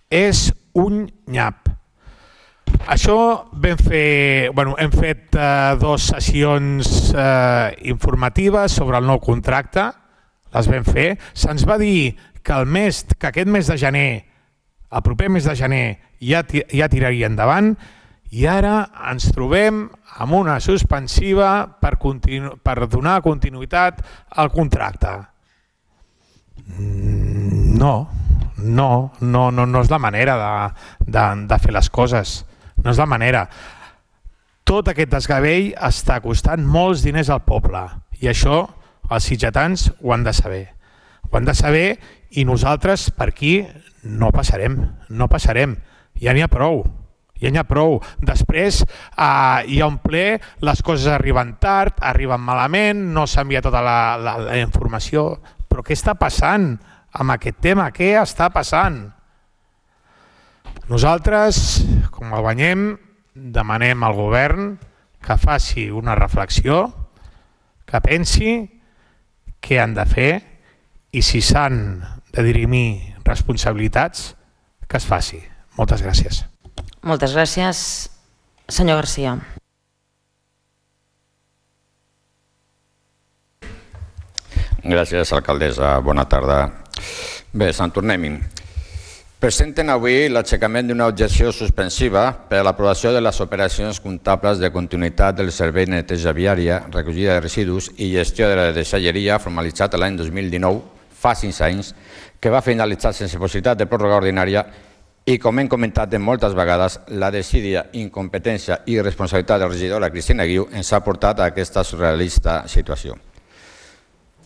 És un nyap. Això hem fet 2 sessions informatives sobre el nou contracte. les vam fer. Se'ns va dir que aquest mes de gener, el proper mes de gener, ja tiraria endavant, i ara ens trobem amb una suspensiva per donar continuïtat al contracte. No és la manera de fer les coses, no és la manera. Tot aquest desgavell està costant molts diners al poble i això els sitgetans ho han de saber. Ho han de saber i nosaltres per aquí no passarem, ja n'hi ha prou. Després hi ha un ple, les coses arriben tard, arriben malament, no s'envia tota la informació. Però què està passant amb aquest tema? Què està passant? Nosaltres, com el guanyem, demanem al govern que faci una reflexió, que pensi què han de fer i si s'han de dirimir responsabilitats, que es faci. Moltes gràcies. Moltes gràcies. Senyor Garcia. Gràcies, alcaldessa. Bona tarda. Bé, se'n tornem-hi. Presenten avui l'aixecament d'una objecció suspensiva per a l'aprovació de les operacions comptables de continuïtat del servei de neteja viària, recollida de residus i gestió de la deixalleria formalitzat l'any 2019, fa 5 anys, que va finalitzar sense possibilitat de pròrroga ordinària i, com hem comentat moltes vegades, la desídia, incompetència i responsabilitat de la regidora Cristina Guiu ens ha portat a aquesta surrealista situació.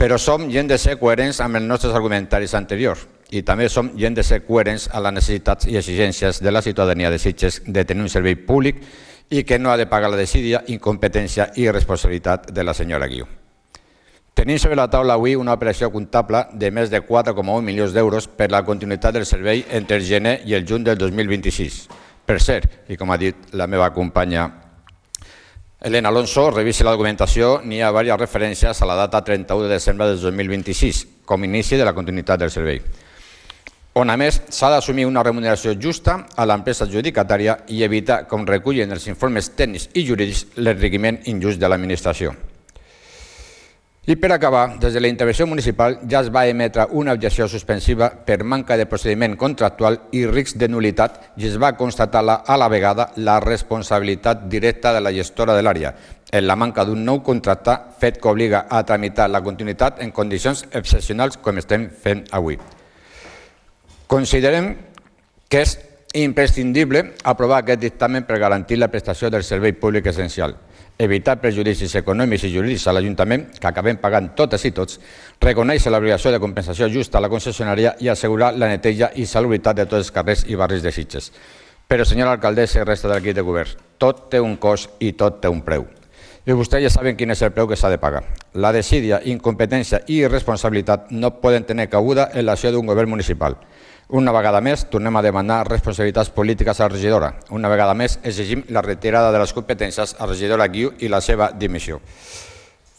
Però som i hem de ser coherents amb els nostres argumentaris anteriors i també som i hem de ser coherents amb les necessitats i exigències de la ciutadania de Sitges de tenir un servei públic i que no ha de pagar la desídia, incompetència i responsabilitat de la senyora Guiu. Tenim sobre la taula avui una operació comptable de més de 4,1 milions d'euros per la continuïtat del servei entre el gener i el juny del 2026. Per cert, i com ha dit la meva companya Elena Alonso, revisi la documentació, n'hi ha diverses referències a la data 31 de desembre del 2026, com a inici de la continuïtat del servei, on a més s'ha d'assumir una remuneració justa a l'empresa adjudicatària i evitar, com recullen els informes tècnics i jurídics, l'enriquiment injust de l'administració. I per acabar, des de la intervenció municipal ja es va emetre una objecció suspensiva per manca de procediment contractual i risc de nul·litat i es va constatar a la vegada la responsabilitat directa de la gestora de l'àrea en la manca d'un nou contracte fet que obliga a tramitar la continuïtat en condicions excepcionals com estem fent avui. Considerem que és imprescindible aprovar aquest dictamen per garantir la prestació del servei públic essencial, evitar perjudicis econòmics i jurídics a l'Ajuntament, que acabem pagant totes i tots, reconèixer l'obligació de compensació justa a la concessionària i assegurar la neteja i salubritat de tots els carrers i barris de Sitges. Però, senyora alcaldessa i resta de l'equip de govern, tot té un cost i tot té un preu. I vostès ja saben quin és el preu que s'ha de pagar. La desídia, incompetència i irresponsabilitat no poden tenir cabuda en l'acció d'un govern municipal. Una vegada més, tornem a demanar responsabilitats polítiques a la regidora. Una vegada més, exigim la retirada de les competències a la regidora Guiu i la seva dimissió.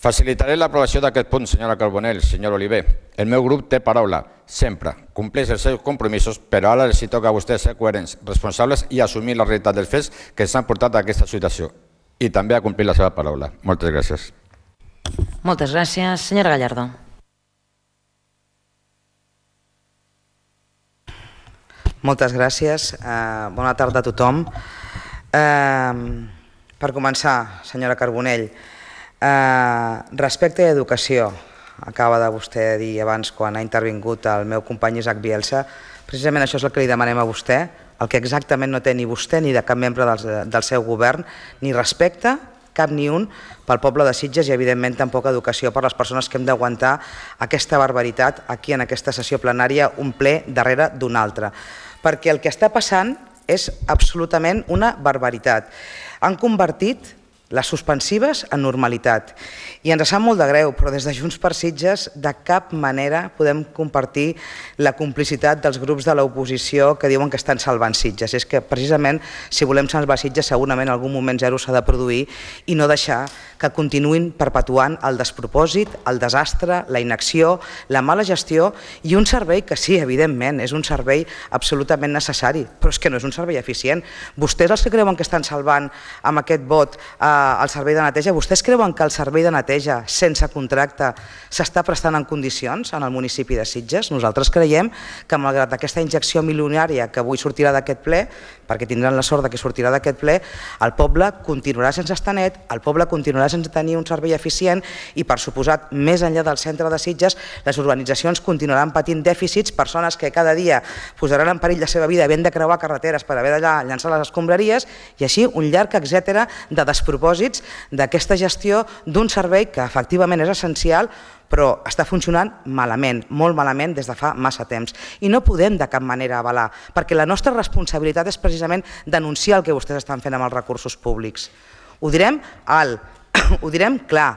Facilitaré l'aprovació d'aquest punt, senyora Carbonell, senyor Oliver. El meu grup té paraula, sempre. Compleix els seus compromisos, però ara els toca a vostès ser coherents, responsables i assumir la realitat dels fets que s'han portat a aquesta situació. I també a complir la seva paraula. Moltes gràcies. Moltes gràcies. Senyora Gallardo. Moltes gràcies. Bona tarda a tothom. Per començar, senyora Carbonell, respecte a educació, acaba de vostè dir abans quan ha intervingut el meu company Isaac Bielsa, precisament això és el que li demanem a vostè, el que exactament no té ni vostè ni de cap membre del seu govern, ni respecte, cap ni un, pel poble de Sitges i evidentment tampoc educació per les persones que hem d'aguantar aquesta barbaritat aquí en aquesta sessió plenària, un ple darrere d'un altre. Perquè el que està passant és absolutament una barbaritat. Han convertit les suspensives en normalitat. I ens sap molt de greu, però des de Junts per Sitges de cap manera podem compartir la complicitat dels grups de l'oposició que diuen que estan salvant Sitges. És que precisament si volem salvar Sitges segurament en algun moment zero s'ha de produir i no deixar que continuïn perpetuant el despropòsit, el desastre, la inacció, la mala gestió i un servei que sí, evidentment, és un servei absolutament necessari, però és que no és un servei eficient. Vostès els que creuen que estan salvant amb aquest vot al servei de neteja. Vostès creuen que el servei de neteja sense contracte s'està prestant en condicions en el municipi de Sitges? Nosaltres creiem que malgrat aquesta injecció milionària que avui sortirà d'aquest ple, perquè tindran la sort que sortirà d'aquest ple, el poble continuarà sense estar net, el poble continuarà sense tenir un servei eficient i, per suposat, més enllà del centre de Sitges, les urbanitzacions continuaran patint dèficits, persones que cada dia posaran en perill la seva vida havent de creuar carreteres per haver de llançar les escombraries i així un llarg etcètera de despropòsits d'aquesta gestió d'un servei que efectivament és essencial però està funcionant malament, molt malament des de fa massa temps. I no podem de cap manera avalar, perquè la nostra responsabilitat és precisament denunciar el que vostès estan fent amb els recursos públics. Ho direm alt, ho direm clar.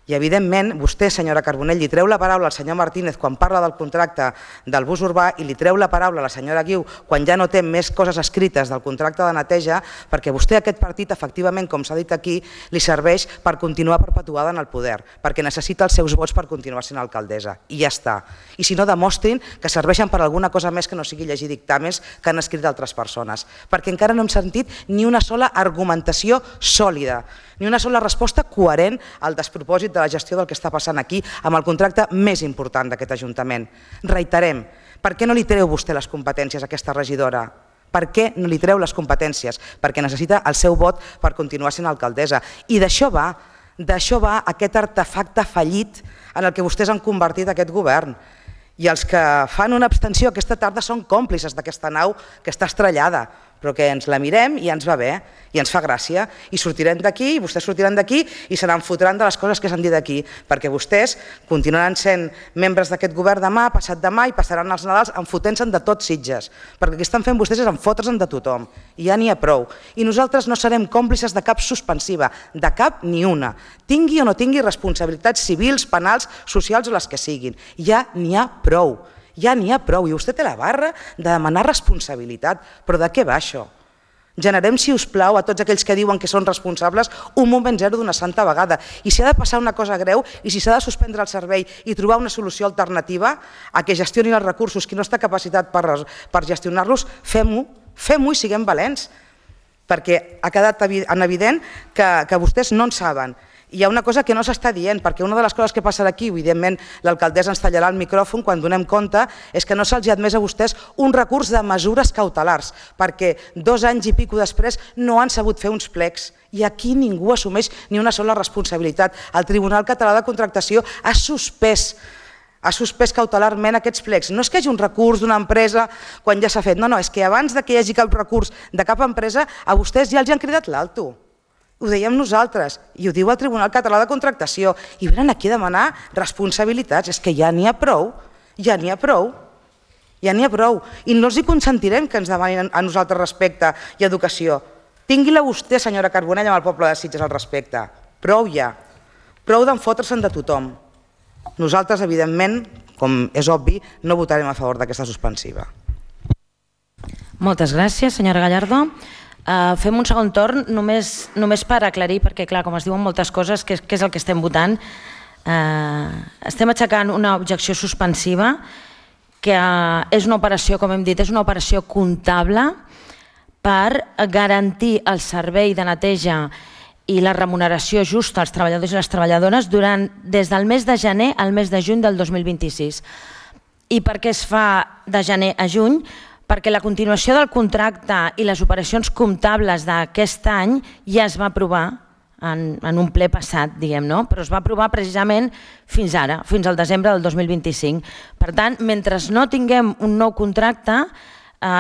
I evidentment vostè, senyora Carbonell, li treu la paraula al senyor Martínez quan parla del contracte del bus urbà i li treu la paraula a la senyora Guiu quan ja no té més coses escrites del contracte de neteja, perquè vostè aquest partit, efectivament, com s'ha dit aquí, li serveix per continuar perpetuada en el poder, perquè necessita els seus vots per continuar sent alcaldessa. I ja està. I si no, demostrin que serveixen per alguna cosa més que no sigui llegir dictàmens que han escrit altres persones, perquè encara no hem sentit ni una sola argumentació sòlida, ni una sola resposta coherent al despropòsit de la gestió del que està passant aquí amb el contracte més important d'aquest Ajuntament. Reiterem, per què no li treu vostè les competències a aquesta regidora? Per què no li treu les competències? Perquè necessita el seu vot per continuar sent alcaldessa. I d'això va aquest artefacte fallit en el que vostès han convertit aquest govern. I els que fan una abstenció aquesta tarda són còmplices d'aquesta nau que està estrellada, però que ens la mirem i ens va bé, i ens fa gràcia, i sortirem d'aquí, i vostès sortiran d'aquí i se n'enfotran de les coses que s'han dit aquí, perquè vostès continuaran sent membres d'aquest govern demà, passat demà, i passaran els Nadals enfotent-se'n de tots Sitges, perquè el que estan fent vostès és enfotre's-en de tothom, i ja n'hi ha prou. I nosaltres no serem còmplices de cap suspensiva, de cap ni una, tingui o no tingui responsabilitats civils, penals, socials o les que siguin. Ja n'hi ha prou. Ja n'hi ha prou, i vostè té la barra de demanar responsabilitat. Però de què va això? Generem, si us plau, a tots aquells que diuen que són responsables, un moment zero d'una santa vegada. I si ha de passar una cosa greu, i si s'ha de suspendre el servei i trobar una solució alternativa a que gestioni els recursos qui no està capacitat per gestionar-los, fem-ho i siguem valents. Perquè ha quedat en evident que vostès no en saben. Hi ha una cosa que no s'està dient, perquè una de les coses que passarà aquí, evidentment l'alcaldessa ens tallarà el micròfon quan donem compte, és que no se'ls ha admès a vostès un recurs de mesures cautelars, perquè 2 anys i pico després no han sabut fer uns plecs, i aquí ningú assumeix ni una sola responsabilitat. El Tribunal Català de Contractació ha suspès cautelarment aquests plecs. No és que hi hagi un recurs d'una empresa quan ja s'ha fet, no, és que abans que hi hagi cap recurs de cap empresa, a vostès ja els han cridat l'alto. Ho dèiem nosaltres, i ho diu el Tribunal Català de Contractació, i venen aquí a demanar responsabilitats. És que ja n'hi ha prou, ja n'hi ha prou, ja n'hi ha prou. I no els hi consentirem que ens demanin a nosaltres respecte i educació. Tingui-la vostè, senyora Carbonell, amb el poble de Sitges al respecte. Prou ja, prou d'enfotre-se'n de tothom. Nosaltres, evidentment, com és obvi, no votarem a favor d'aquesta suspensiva. Moltes gràcies, senyora Gallardo. Fem un segon torn, només per aclarir, perquè clar, com es diuen moltes coses, què és el que estem votant. Estem aixecant una objecció suspensiva, que és una operació, com hem dit, és una operació comptable per garantir el servei de neteja i la remuneració justa als treballadors i les treballadores des del mes de gener al mes de juny del 2026. I per què es fa de gener a juny? Perquè la continuació del contracte i les operacions comptables d'aquest any ja es va aprovar en un ple passat, diguem-ne, però es va aprovar precisament fins ara, fins al desembre del 2025. Per tant, mentre no tinguem un nou contracte,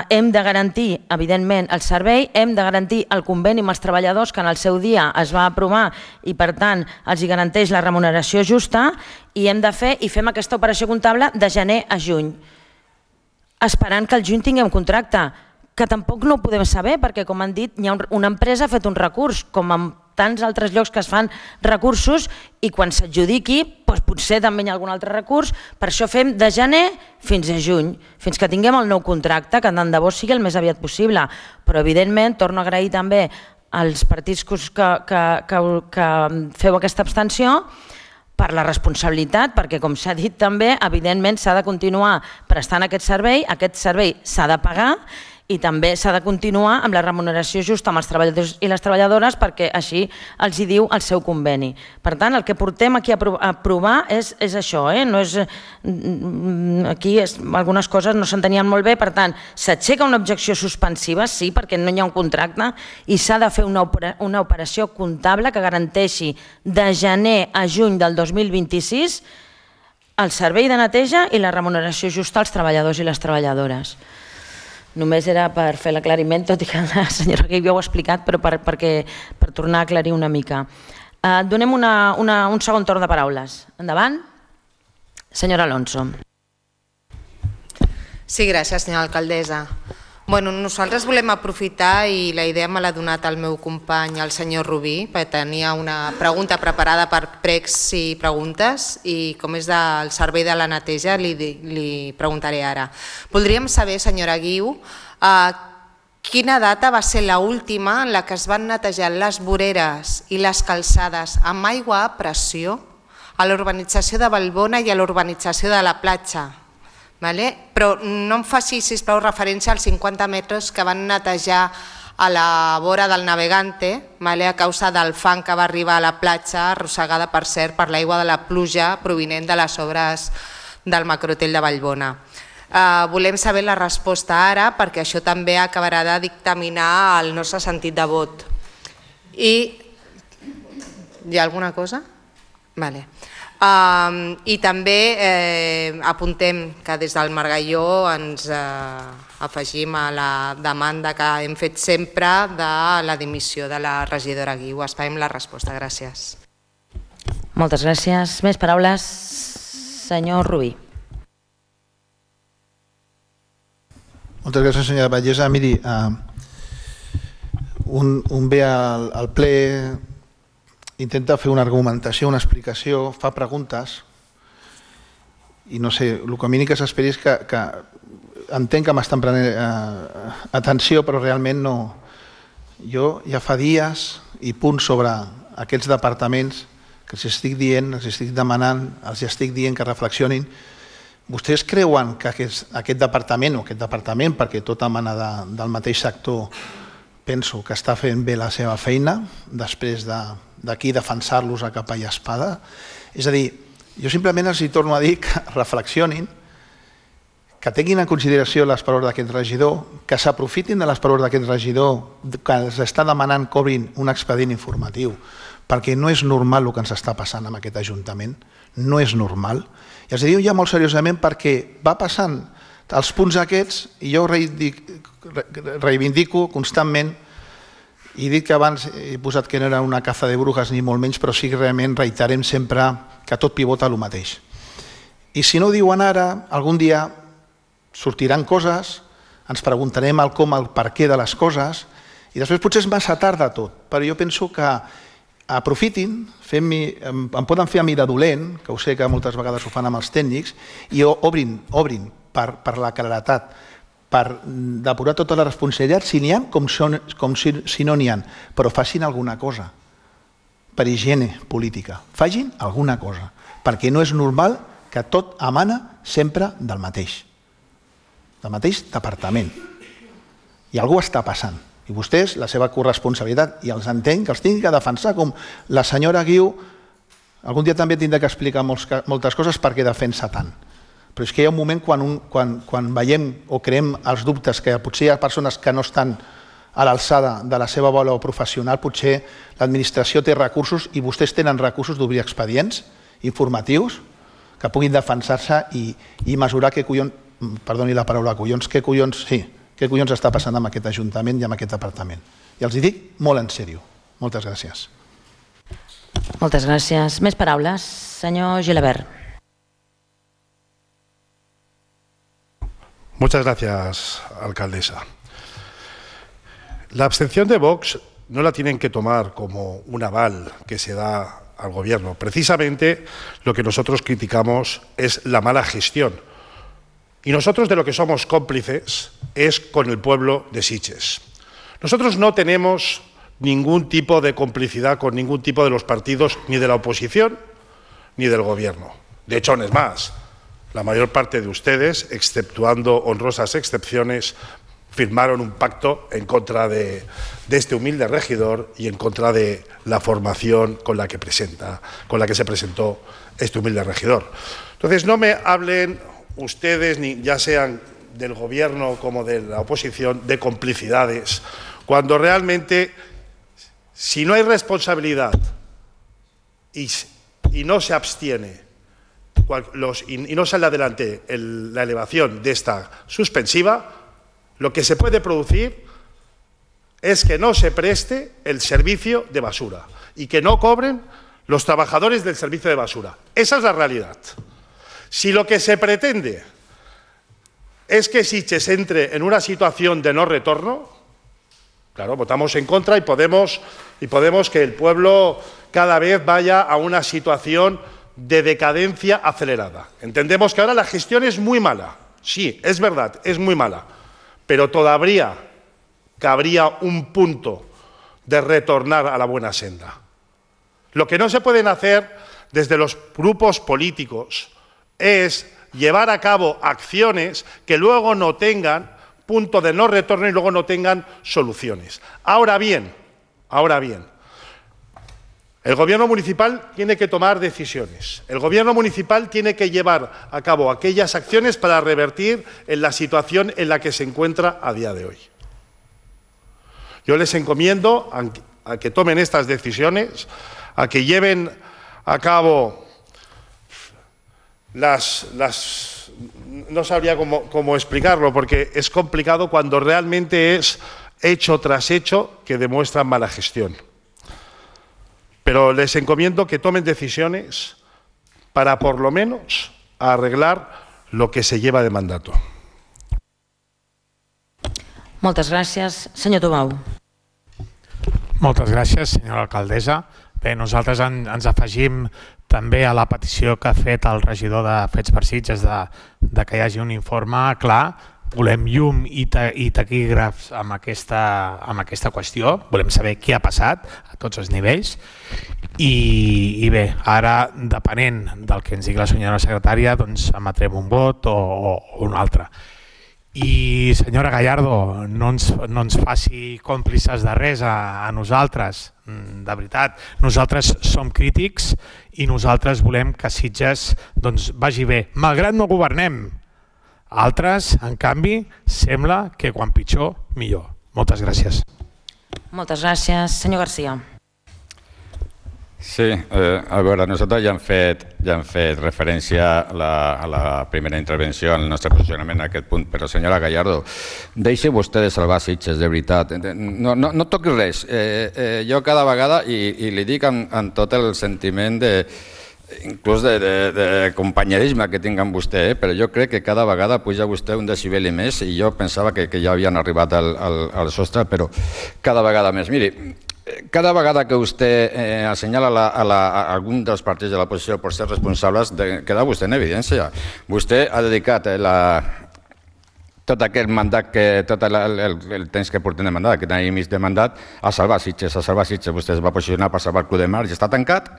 hem de garantir, evidentment, el servei, hem de garantir el conveni amb els treballadors que en el seu dia es va aprovar i, per tant, els garanteix la remuneració justa, i hem de fer i fem aquesta operació comptable de gener a juny, esperant que al juny tinguem contracte, que tampoc no ho podem saber, perquè, com han dit, una empresa ha fet un recurs, com en tants altres llocs que es fan recursos, i quan s'adjudiqui, potser també hi ha algun altre recurs. Per això fem de gener fins a juny, fins que tinguem el nou contracte, que tant de bo sigui el més aviat possible. Però, evidentment, torno a agrair també als partits que feu aquesta abstenció, per la responsabilitat, perquè, com s'ha dit també, evidentment s'ha de continuar prestant aquest servei s'ha de pagar, i també s'ha de continuar amb la remuneració justa amb els treballadors i les treballadores perquè així els hi diu el seu conveni. Per tant, el que portem aquí a aprovar és això, no és... Aquí algunes coses no s'entenien molt bé, per tant, s'aixeca una objecció suspensiva, sí, perquè no hi ha un contracte i s'ha de fer una operació comptable que garanteixi de gener a juny del 2026 el servei de neteja i la remuneració justa als treballadors i les treballadores. Només era per fer l'aclariment, tot i que la senyora Guiu ja ho ha explicat, però per tornar a aclarir una mica. Donem un segon torn de paraules. Endavant. Senyora Alonso. Sí, gràcies, senyora alcaldessa. Nosaltres volem aprofitar, i la idea me l'ha donat el meu company, el senyor Rubí, perquè tenia una pregunta preparada per pregs i preguntes, i com és del servei de la neteja, li preguntaré ara. Voldríem saber, senyora Guiu, quina data va ser l'última en la que es van netejar les voreres i les calçades amb aigua a pressió a l'urbanització de Vallbona i a l'urbanització de la platja. Però no em faci, sisplau, referència als 50 metres que van netejar a la vora del Navegante a causa del fang que va arribar a la platja, arrossegada, per cert, per l'aigua de la pluja provinent de les obres del macrohotel de Vallbona. Volem saber la resposta ara, perquè això també acabarà de dictaminar el nostre sentit de vot. I hi ha alguna cosa? Vale. I també apuntem que des del Margalló ens afegim a la demanda que hem fet sempre de la dimissió de la regidora Guiu. Esperem la resposta. Gràcies. Moltes gràcies. Més paraules? Senyor Rubí. Moltes gràcies, senyora Vallesa. Miri, un ve al ple, intenta fer una argumentació, una explicació, fa preguntes i no sé, el que a mi que s'esperi és que entenc que m'estan prenent atenció, però realment no. Jo ja fa dies i punts sobre aquests departaments que els estic dient, els estic demanant, els estic dient que reflexionin. Vostès creuen que aquest departament, perquè tot emana del mateix sector, penso que està fent bé la seva feina, després d'aquí defensar-los a capa i espada? És a dir, jo simplement els torno a dir que reflexionin, que tinguin en consideració les paraules d'aquest regidor, que s'aprofitin de les paraules d'aquest regidor, que els està demanant que obrin un expedient informatiu, perquè no és normal el que ens està passant amb aquest Ajuntament, no és normal. I els diu ja molt seriosament perquè va passant els punts aquests i jo reivindico constantment, i dic que abans he posat que no era una caza de brujas ni molt menys, però sí que realment reiterem sempre que tot pivota el mateix. I si no ho diuen ara, algun dia sortiran coses, ens preguntarem el com, el per què de les coses, i després potser és massa tard de tot, però jo penso que aprofitin, em poden fer a mi de dolent, que ho sé que moltes vegades ho fan amb els tècnics, i obrin per la claretat, per depurar tota la responsabilitat, si n'hi ha com si no n'hi ha, però facin alguna cosa, per higiene política, facin alguna cosa, perquè no és normal que tot emana sempre del mateix departament, i alguna cosa està passant. I vostès, la seva corresponsabilitat, i els entenc, que els tinguin que defensar, com la senyora Guiu, algun dia també tindrà que explicar moltes coses perquè defensa tant. Però és que hi ha un moment quan veiem o creem els dubtes que potser hi ha persones que no estan a l'alçada de la seva valor professional, potser l'administració té recursos i vostès tenen recursos d'obrir expedients informatius que puguin defensar-se i mesurar què collons, perdoni la paraula collons, què collons està passant amb aquest Ajuntament i amb aquest departament. I els hi dic molt en sèrio. Moltes gràcies. Moltes gràcies. Més paraules. Senyor Gilabert. Muchas gracias, alcaldesa. La abstención de Vox no la tienen que tomar como un aval que se da al gobierno. Precisamente lo que nosotros criticamos es la mala gestión. Y nosotros de lo que somos cómplices es con el pueblo de Sitges. Nosotros no tenemos ningún tipo de complicidad con ningún tipo de los partidos, ni de la oposición, ni del gobierno. De hecho, no es más. La mayor parte de ustedes, exceptuando honrosas excepciones, firmaron un pacto en contra de este humilde regidor y en contra de la formación con la que se presentó este humilde regidor. Entonces, no me hablen ustedes, ni ya sean del gobierno como de la oposición, de complicidades, cuando realmente, si no hay responsabilidad y no se abstiene y no sale adelante la elevación de esta suspensiva, lo que se puede producir es que no se preste el servicio de basura y que no cobren los trabajadores del servicio de basura. Esa es la realidad. Si lo que se pretende es que Sitges entre en una situación de no retorno, claro, votamos en contra y podemos que el pueblo cada vez vaya a una situación de decadencia acelerada. Entendemos que ahora la gestión es muy mala. Sí, es verdad, es muy mala. Pero todavía cabría un punto de retornar a la buena senda. Lo que no se pueden hacer desde los grupos políticos es llevar a cabo acciones que luego no tengan punto de no retorno y luego no tengan soluciones. Ahora bien, el Gobierno municipal tiene que tomar decisiones. El Gobierno municipal tiene que llevar a cabo aquellas acciones para revertir en la situación en la que se encuentra a día de hoy. Yo les encomiendo a que tomen estas decisiones, a que lleven a cabo no sabría cómo explicarlo, porque es complicado cuando realmente es hecho tras hecho que demuestran mala gestión. Pero les encomiendo que tomen decisiones para, por lo menos, arreglar lo que se lleva de mandato. Moltes gràcies. Senyor Tomau. Moltes gràcies, senyora alcaldessa. Bé, nosaltres ens afegim també a la petició que ha fet el regidor de Fets per Sitges de que hi hagi un informe clar. Volem llum i taquígrafs amb aquesta qüestió, volem saber què ha passat a tots els nivells i bé, ara depenent del que ens digui la senyora secretària doncs emetrem un vot o un altre. I senyora Gallardo, no ens faci còmplices de res a nosaltres, de veritat, nosaltres som crítics i nosaltres volem que Sitges vagi bé, malgrat no governem. Altres, en canvi, sembla que quan pitjor, millor. Moltes gràcies. Moltes gràcies. Senyor Garcia. Sí, a veure, nosaltres ja hem fet referència a la primera intervenció, al nostre posicionament en aquest punt, però senyora Gallardo, deixi vostè de salvar Sitges, de veritat. No toqui res. Jo cada vegada, i li dic amb tot el sentiment inclús de companyerisme que tinc amb vostè, però jo crec que cada vegada puja vostè un decibel i més i jo pensava que ja havien arribat al sostre, però cada vegada més. Miri, cada vegada que vostè assenyala a algun dels partits de l'oposició per ser responsables, queda vostè en evidència. Vostè ha dedicat tot aquest mandat, tot el temps que portem de mandat, aquest any i mig de mandat, a salvar Sitges. Vostè es va posicionar per salvar el Club de Mar i està tancat,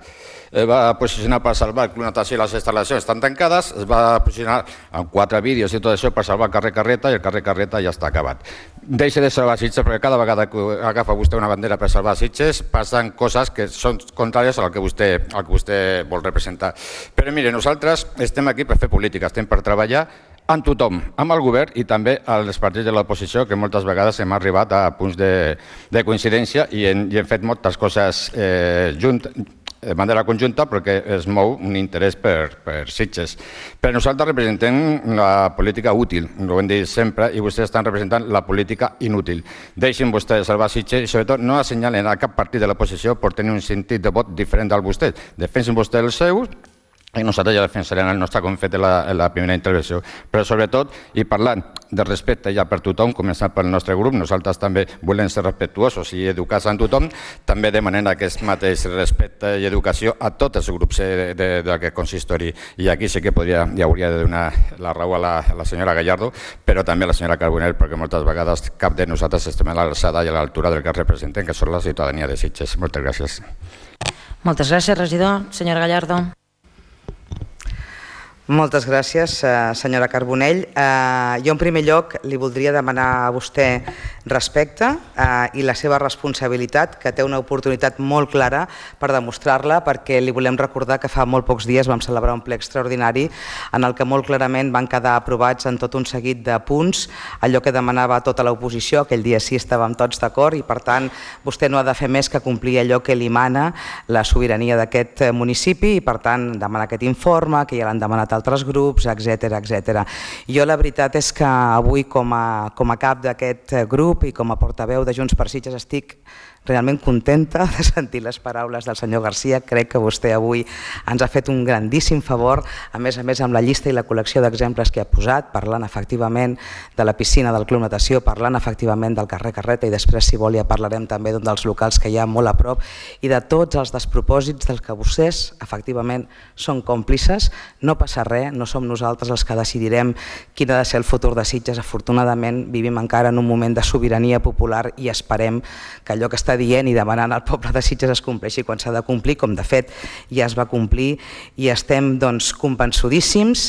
va posicionar per salvar el Club Natació i les instal·lacions estan tancades, es va posicionar amb 4 vídeos i tot això per salvar el carrer Carreta i el carrer Carreta ja està acabat. Deixi de salvar Sitges perquè cada vegada que agafa vostè una bandera per salvar Sitges passen coses que són contràries al que vostè vol representar. Però mire, nosaltres estem aquí per fer política, estem per treballar amb tothom, amb el govern i també als partits de l'oposició, que moltes vegades hem arribat a punts de coincidència i hem fet moltes coses de manera conjunta perquè es mou un interès per Sitges. Però nosaltres representem la política útil, ho hem dit sempre, i vostès estan representant la política inútil. Deixin vostès salvar Sitges i sobretot no assenyalen a cap partit de l'oposició per tenir un sentit de vot diferent del vostè. Defensin vostès els seus i nosaltres ja defensarem el nostre, com hem fet en la primera intervenció. Però sobretot, i parlant de respecte ja per tothom, començant pel nostre grup, nosaltres també volem ser respectuosos i educats amb tothom, també demanem aquest mateix respecte i educació a tots els grups d'aquest consistori. I aquí sí que hi hauria de donar la raó a la senyora Gallardo, però també a la senyora Carbonell, perquè moltes vegades cap de nosaltres estem a l'alçada i a l'altura del que representem, que són la ciutadania de Sitges. Moltes gràcies. Moltes gràcies, regidor. Senyora Gallardo. Moltes gràcies, senyora Carbonell. Jo, en primer lloc, li voldria demanar a vostè respecte i la seva responsabilitat, que té una oportunitat molt clara per demostrar-la, perquè li volem recordar que fa molt pocs dies vam celebrar un ple extraordinari en el que molt clarament van quedar aprovats en tot un seguit de punts allò que demanava tota l'oposició. Aquell dia sí estàvem tots d'acord i, per tant, vostè no ha de fer més que complir allò que li mana la sobirania d'aquest municipi i, per tant, demanar aquest informe, que ja l'han demanat altres grups, etc. Jo la veritat és que avui com a cap d'aquest grup i com a portaveu de Junts per Sitges estic realment contenta de sentir les paraules del senyor Garcia. Crec que vostè avui ens ha fet un grandíssim favor, a més amb la llista i la col·lecció d'exemples que ha posat, parlant efectivament de la piscina del Club Natació, parlant efectivament del carrer Carreta i després, si vol, ja parlarem també d'un dels locals que hi ha molt a prop i de tots els despropòsits dels que vostès efectivament són còmplices. No passa res, no som nosaltres els que decidirem quin ha de ser el futur de Sitges. Afortunadament vivim encara en un moment de sobirania popular i esperem que allò que està dient i demanant al poble de Sitges es compleixi quan s'ha de complir, com de fet ja es va complir i estem convençudíssims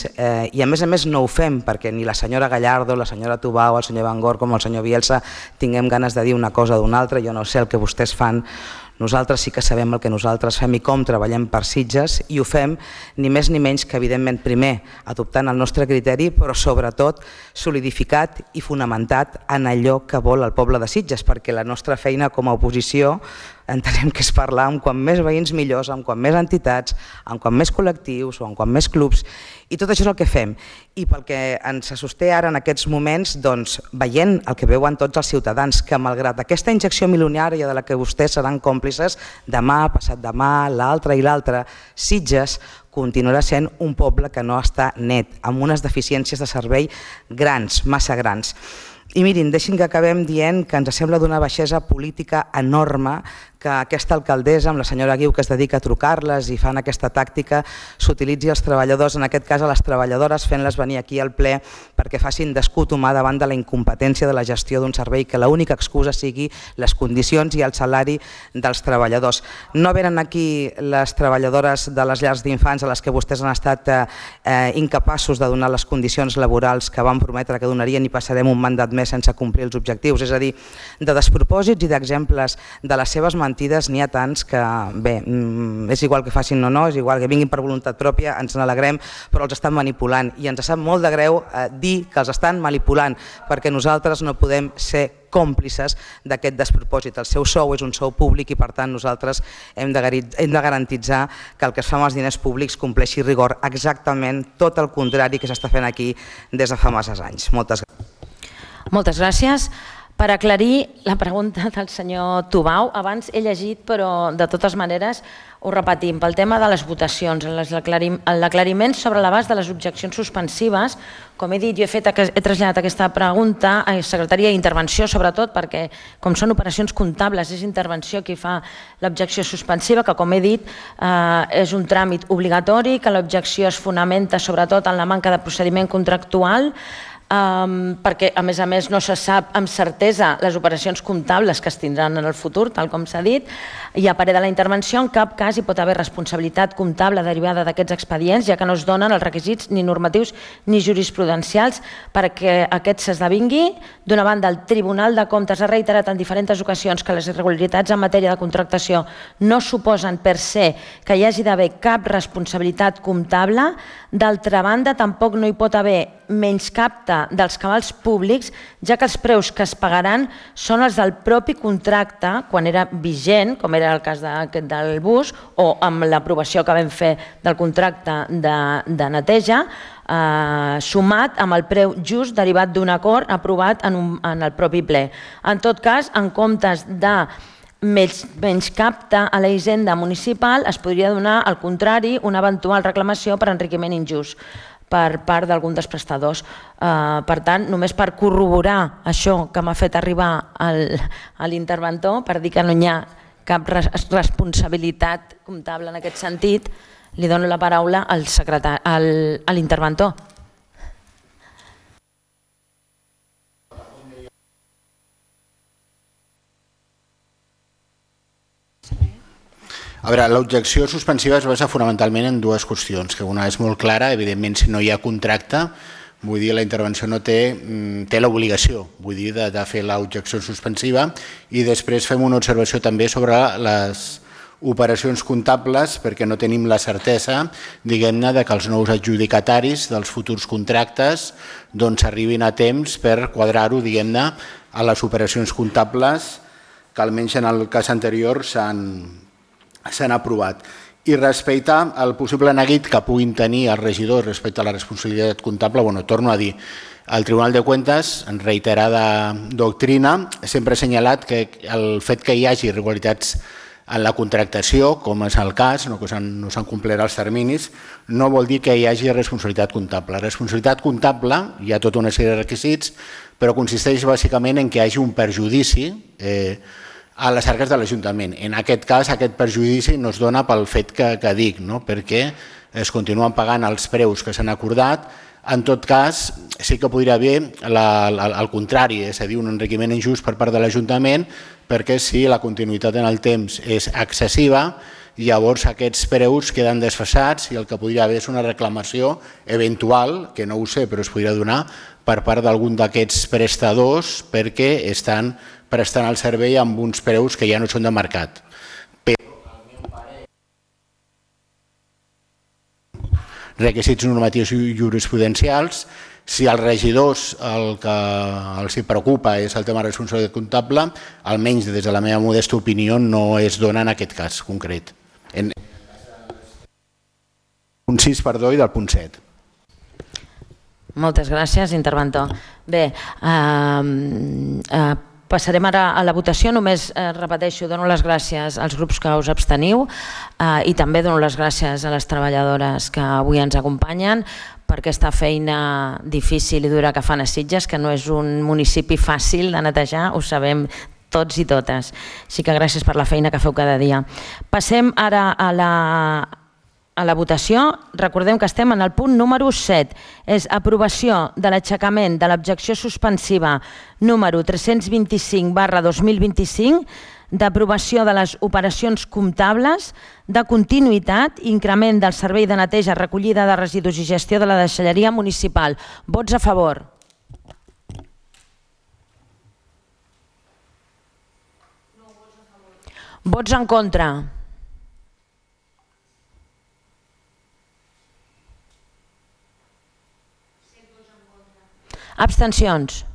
i a més no ho fem perquè ni la senyora Gallardo, la senyora Tubau, el senyor Van Gor com el senyor Bielsa tinguem ganes de dir una cosa o d'una altra. Jo no sé el que vostès fan. Nosaltres sí que sabem el que nosaltres fem i com treballem per Sitges i ho fem ni més ni menys que, evidentment, primer adoptant el nostre criteri, però sobretot solidificat i fonamentat en allò que vol el poble de Sitges, perquè la nostra feina com a oposició entenem que és parlar amb quan més veïns millors, amb quan més entitats, amb quan més col·lectius o amb quan més clubs, i tot això és el que fem. I pel que ens sosté ara en aquests moments, veient el que veuen tots els ciutadans, que malgrat aquesta injecció milionària de la que vostès seran còmplices, demà, passat demà, l'altre i l'altre, Sitges continuarà sent un poble que no està net, amb unes deficiències de servei grans, massa grans. I mirin, deixin que acabem dient que ens sembla d'una baixesa política enorme que aquesta alcaldessa, amb la senyora Guiu, que es dedica a trucar-les i fan aquesta tàctica, s'utilitzi els treballadors, en aquest cas a les treballadores, fent-les venir aquí al ple perquè facin d'escut humà davant de la incompetència de la gestió d'un servei que l'única excusa sigui les condicions i el salari dels treballadors. No venen aquí les treballadores de les llars d'infants a les que vostès han estat incapaços de donar les condicions laborals que van prometre que donarien i passarem un mandat més sense complir els objectius. És a dir, de despropòsits i d'exemples de les seves mentides n'hi ha tants que, bé, és igual que facin o no, és igual que vinguin per voluntat pròpia, ens n'alegrem, però els estan manipulant i ens sap molt de greu dir que els estan manipulant perquè nosaltres no podem ser còmplices d'aquest despropòsit. El seu sou és un sou públic i, per tant, nosaltres hem de garantitzar que el que es fa amb els diners públics compleixi rigor, exactament tot el contrari que s'està fent aquí des de fa masses anys. Moltes gràcies. Moltes gràcies. Per aclarir la pregunta del senyor Tubau, abans he llegit, però de totes maneres ho repetim, pel tema de les votacions, l'aclariment sobre l'abast de les objeccions suspensives, com he dit, jo he traslladat aquesta pregunta a Secretaria d'Intervenció, sobretot perquè, com són operacions comptables, és Intervenció qui fa l'objecció suspensiva, que, com he dit, és un tràmit obligatori, que l'objecció es fonamenta sobretot en la manca de procediment contractual, perquè a més no se sap amb certesa les operacions comptables que es tindran en el futur, tal com s'ha dit, i a parer de la intervenció en cap cas hi pot haver responsabilitat comptable derivada d'aquests expedients, ja que no es donen els requisits ni normatius ni jurisprudencials perquè aquest s'esdevingui. D'una banda, el Tribunal de Comptes ha reiterat en diferents ocasions que les irregularitats en matèria de contractació no suposen per se que hi hagi d'haver cap responsabilitat comptable. D'altra banda, tampoc no hi pot haver menyscapte dels cabals públics, ja que els preus que es pagaran són els del propi contracte quan era vigent, com era el cas del bus, o amb l'aprovació que vam fer del contracte de neteja, sumat amb el preu just derivat d'un acord aprovat en el propi ple. En tot cas, en comptes de menyscapte a la hisenda municipal, es podria donar, al contrari, una eventual reclamació per enriquiment injust per part d'algun dels prestadors. Per tant, només per corroborar això que m'ha fet arribar a l'interventor, per dir que no hi ha cap responsabilitat comptable en aquest sentit, li dono la paraula a l'interventor. A veure, l'objecció suspensiva es basa fonamentalment en dues qüestions, que una és molt clara, evidentment si no hi ha contracte, vull dir, la intervenció no té l'obligació, vull dir, de fer l'objecció suspensiva, i després fem una observació també sobre les operacions comptables, perquè no tenim la certesa, diguem-ne, que els nous adjudicataris dels futurs contractes arribin a temps per quadrar-ho, diguem-ne, a les operacions comptables que almenys en el cas anterior s'han aprovat. I respecte al possible neguit que puguin tenir els regidors respecte a la responsabilitat comptable, torno a dir, el Tribunal de Cuentas, en reiterada doctrina, sempre ha assenyalat que el fet que hi hagi irregularitats en la contractació, com és el cas, que no s'han complert els terminis, no vol dir que hi hagi responsabilitat comptable. La responsabilitat comptable, hi ha tota una sèrie de requisits, però consisteix bàsicament en que hi hagi un perjudici a les arques de l'Ajuntament. En aquest cas, aquest perjudici no es dona pel fet que dic, perquè es continuen pagant els preus que s'han acordat. En tot cas, sí que podria haver el contrari, és a dir, un enriquiment injust per part de l'Ajuntament, perquè si la continuïtat en el temps és excessiva, llavors aquests preus queden desfasats i el que podria haver és una reclamació eventual, que no ho sé, però es podria donar per part d'algun d'aquests prestadors perquè estan prestant el servei amb uns preus que ja no són de mercat. Requisits normatius i jurisprudencials, si als regidors el que els preocupa és el tema de responsabilitat comptable, almenys des de la meva modesta opinió no es dona en aquest cas concret. Punt 6, perdó, i del punt 7. Moltes gràcies, interventor. Bé, passarem ara a la votació. Només repeteixo, dono les gràcies als grups que us absteniu i també dono les gràcies a les treballadores que avui ens acompanyen per aquesta feina difícil i dura que fan a Sitges, que no és un municipi fàcil de netejar, ho sabem tots i totes. Així que gràcies per la feina que feu cada dia. Passem ara a la votació. Recordem que estem en el punt número 7. És aprovació de l'aixecament de l'objecció suspensiva número 325/2025 d'aprovació de les operacions comptables, de continuïtat i increment del servei de neteja, recollida de residus i gestió de la deixalleria municipal. Vots a favor. Vots en contra. Abstencions.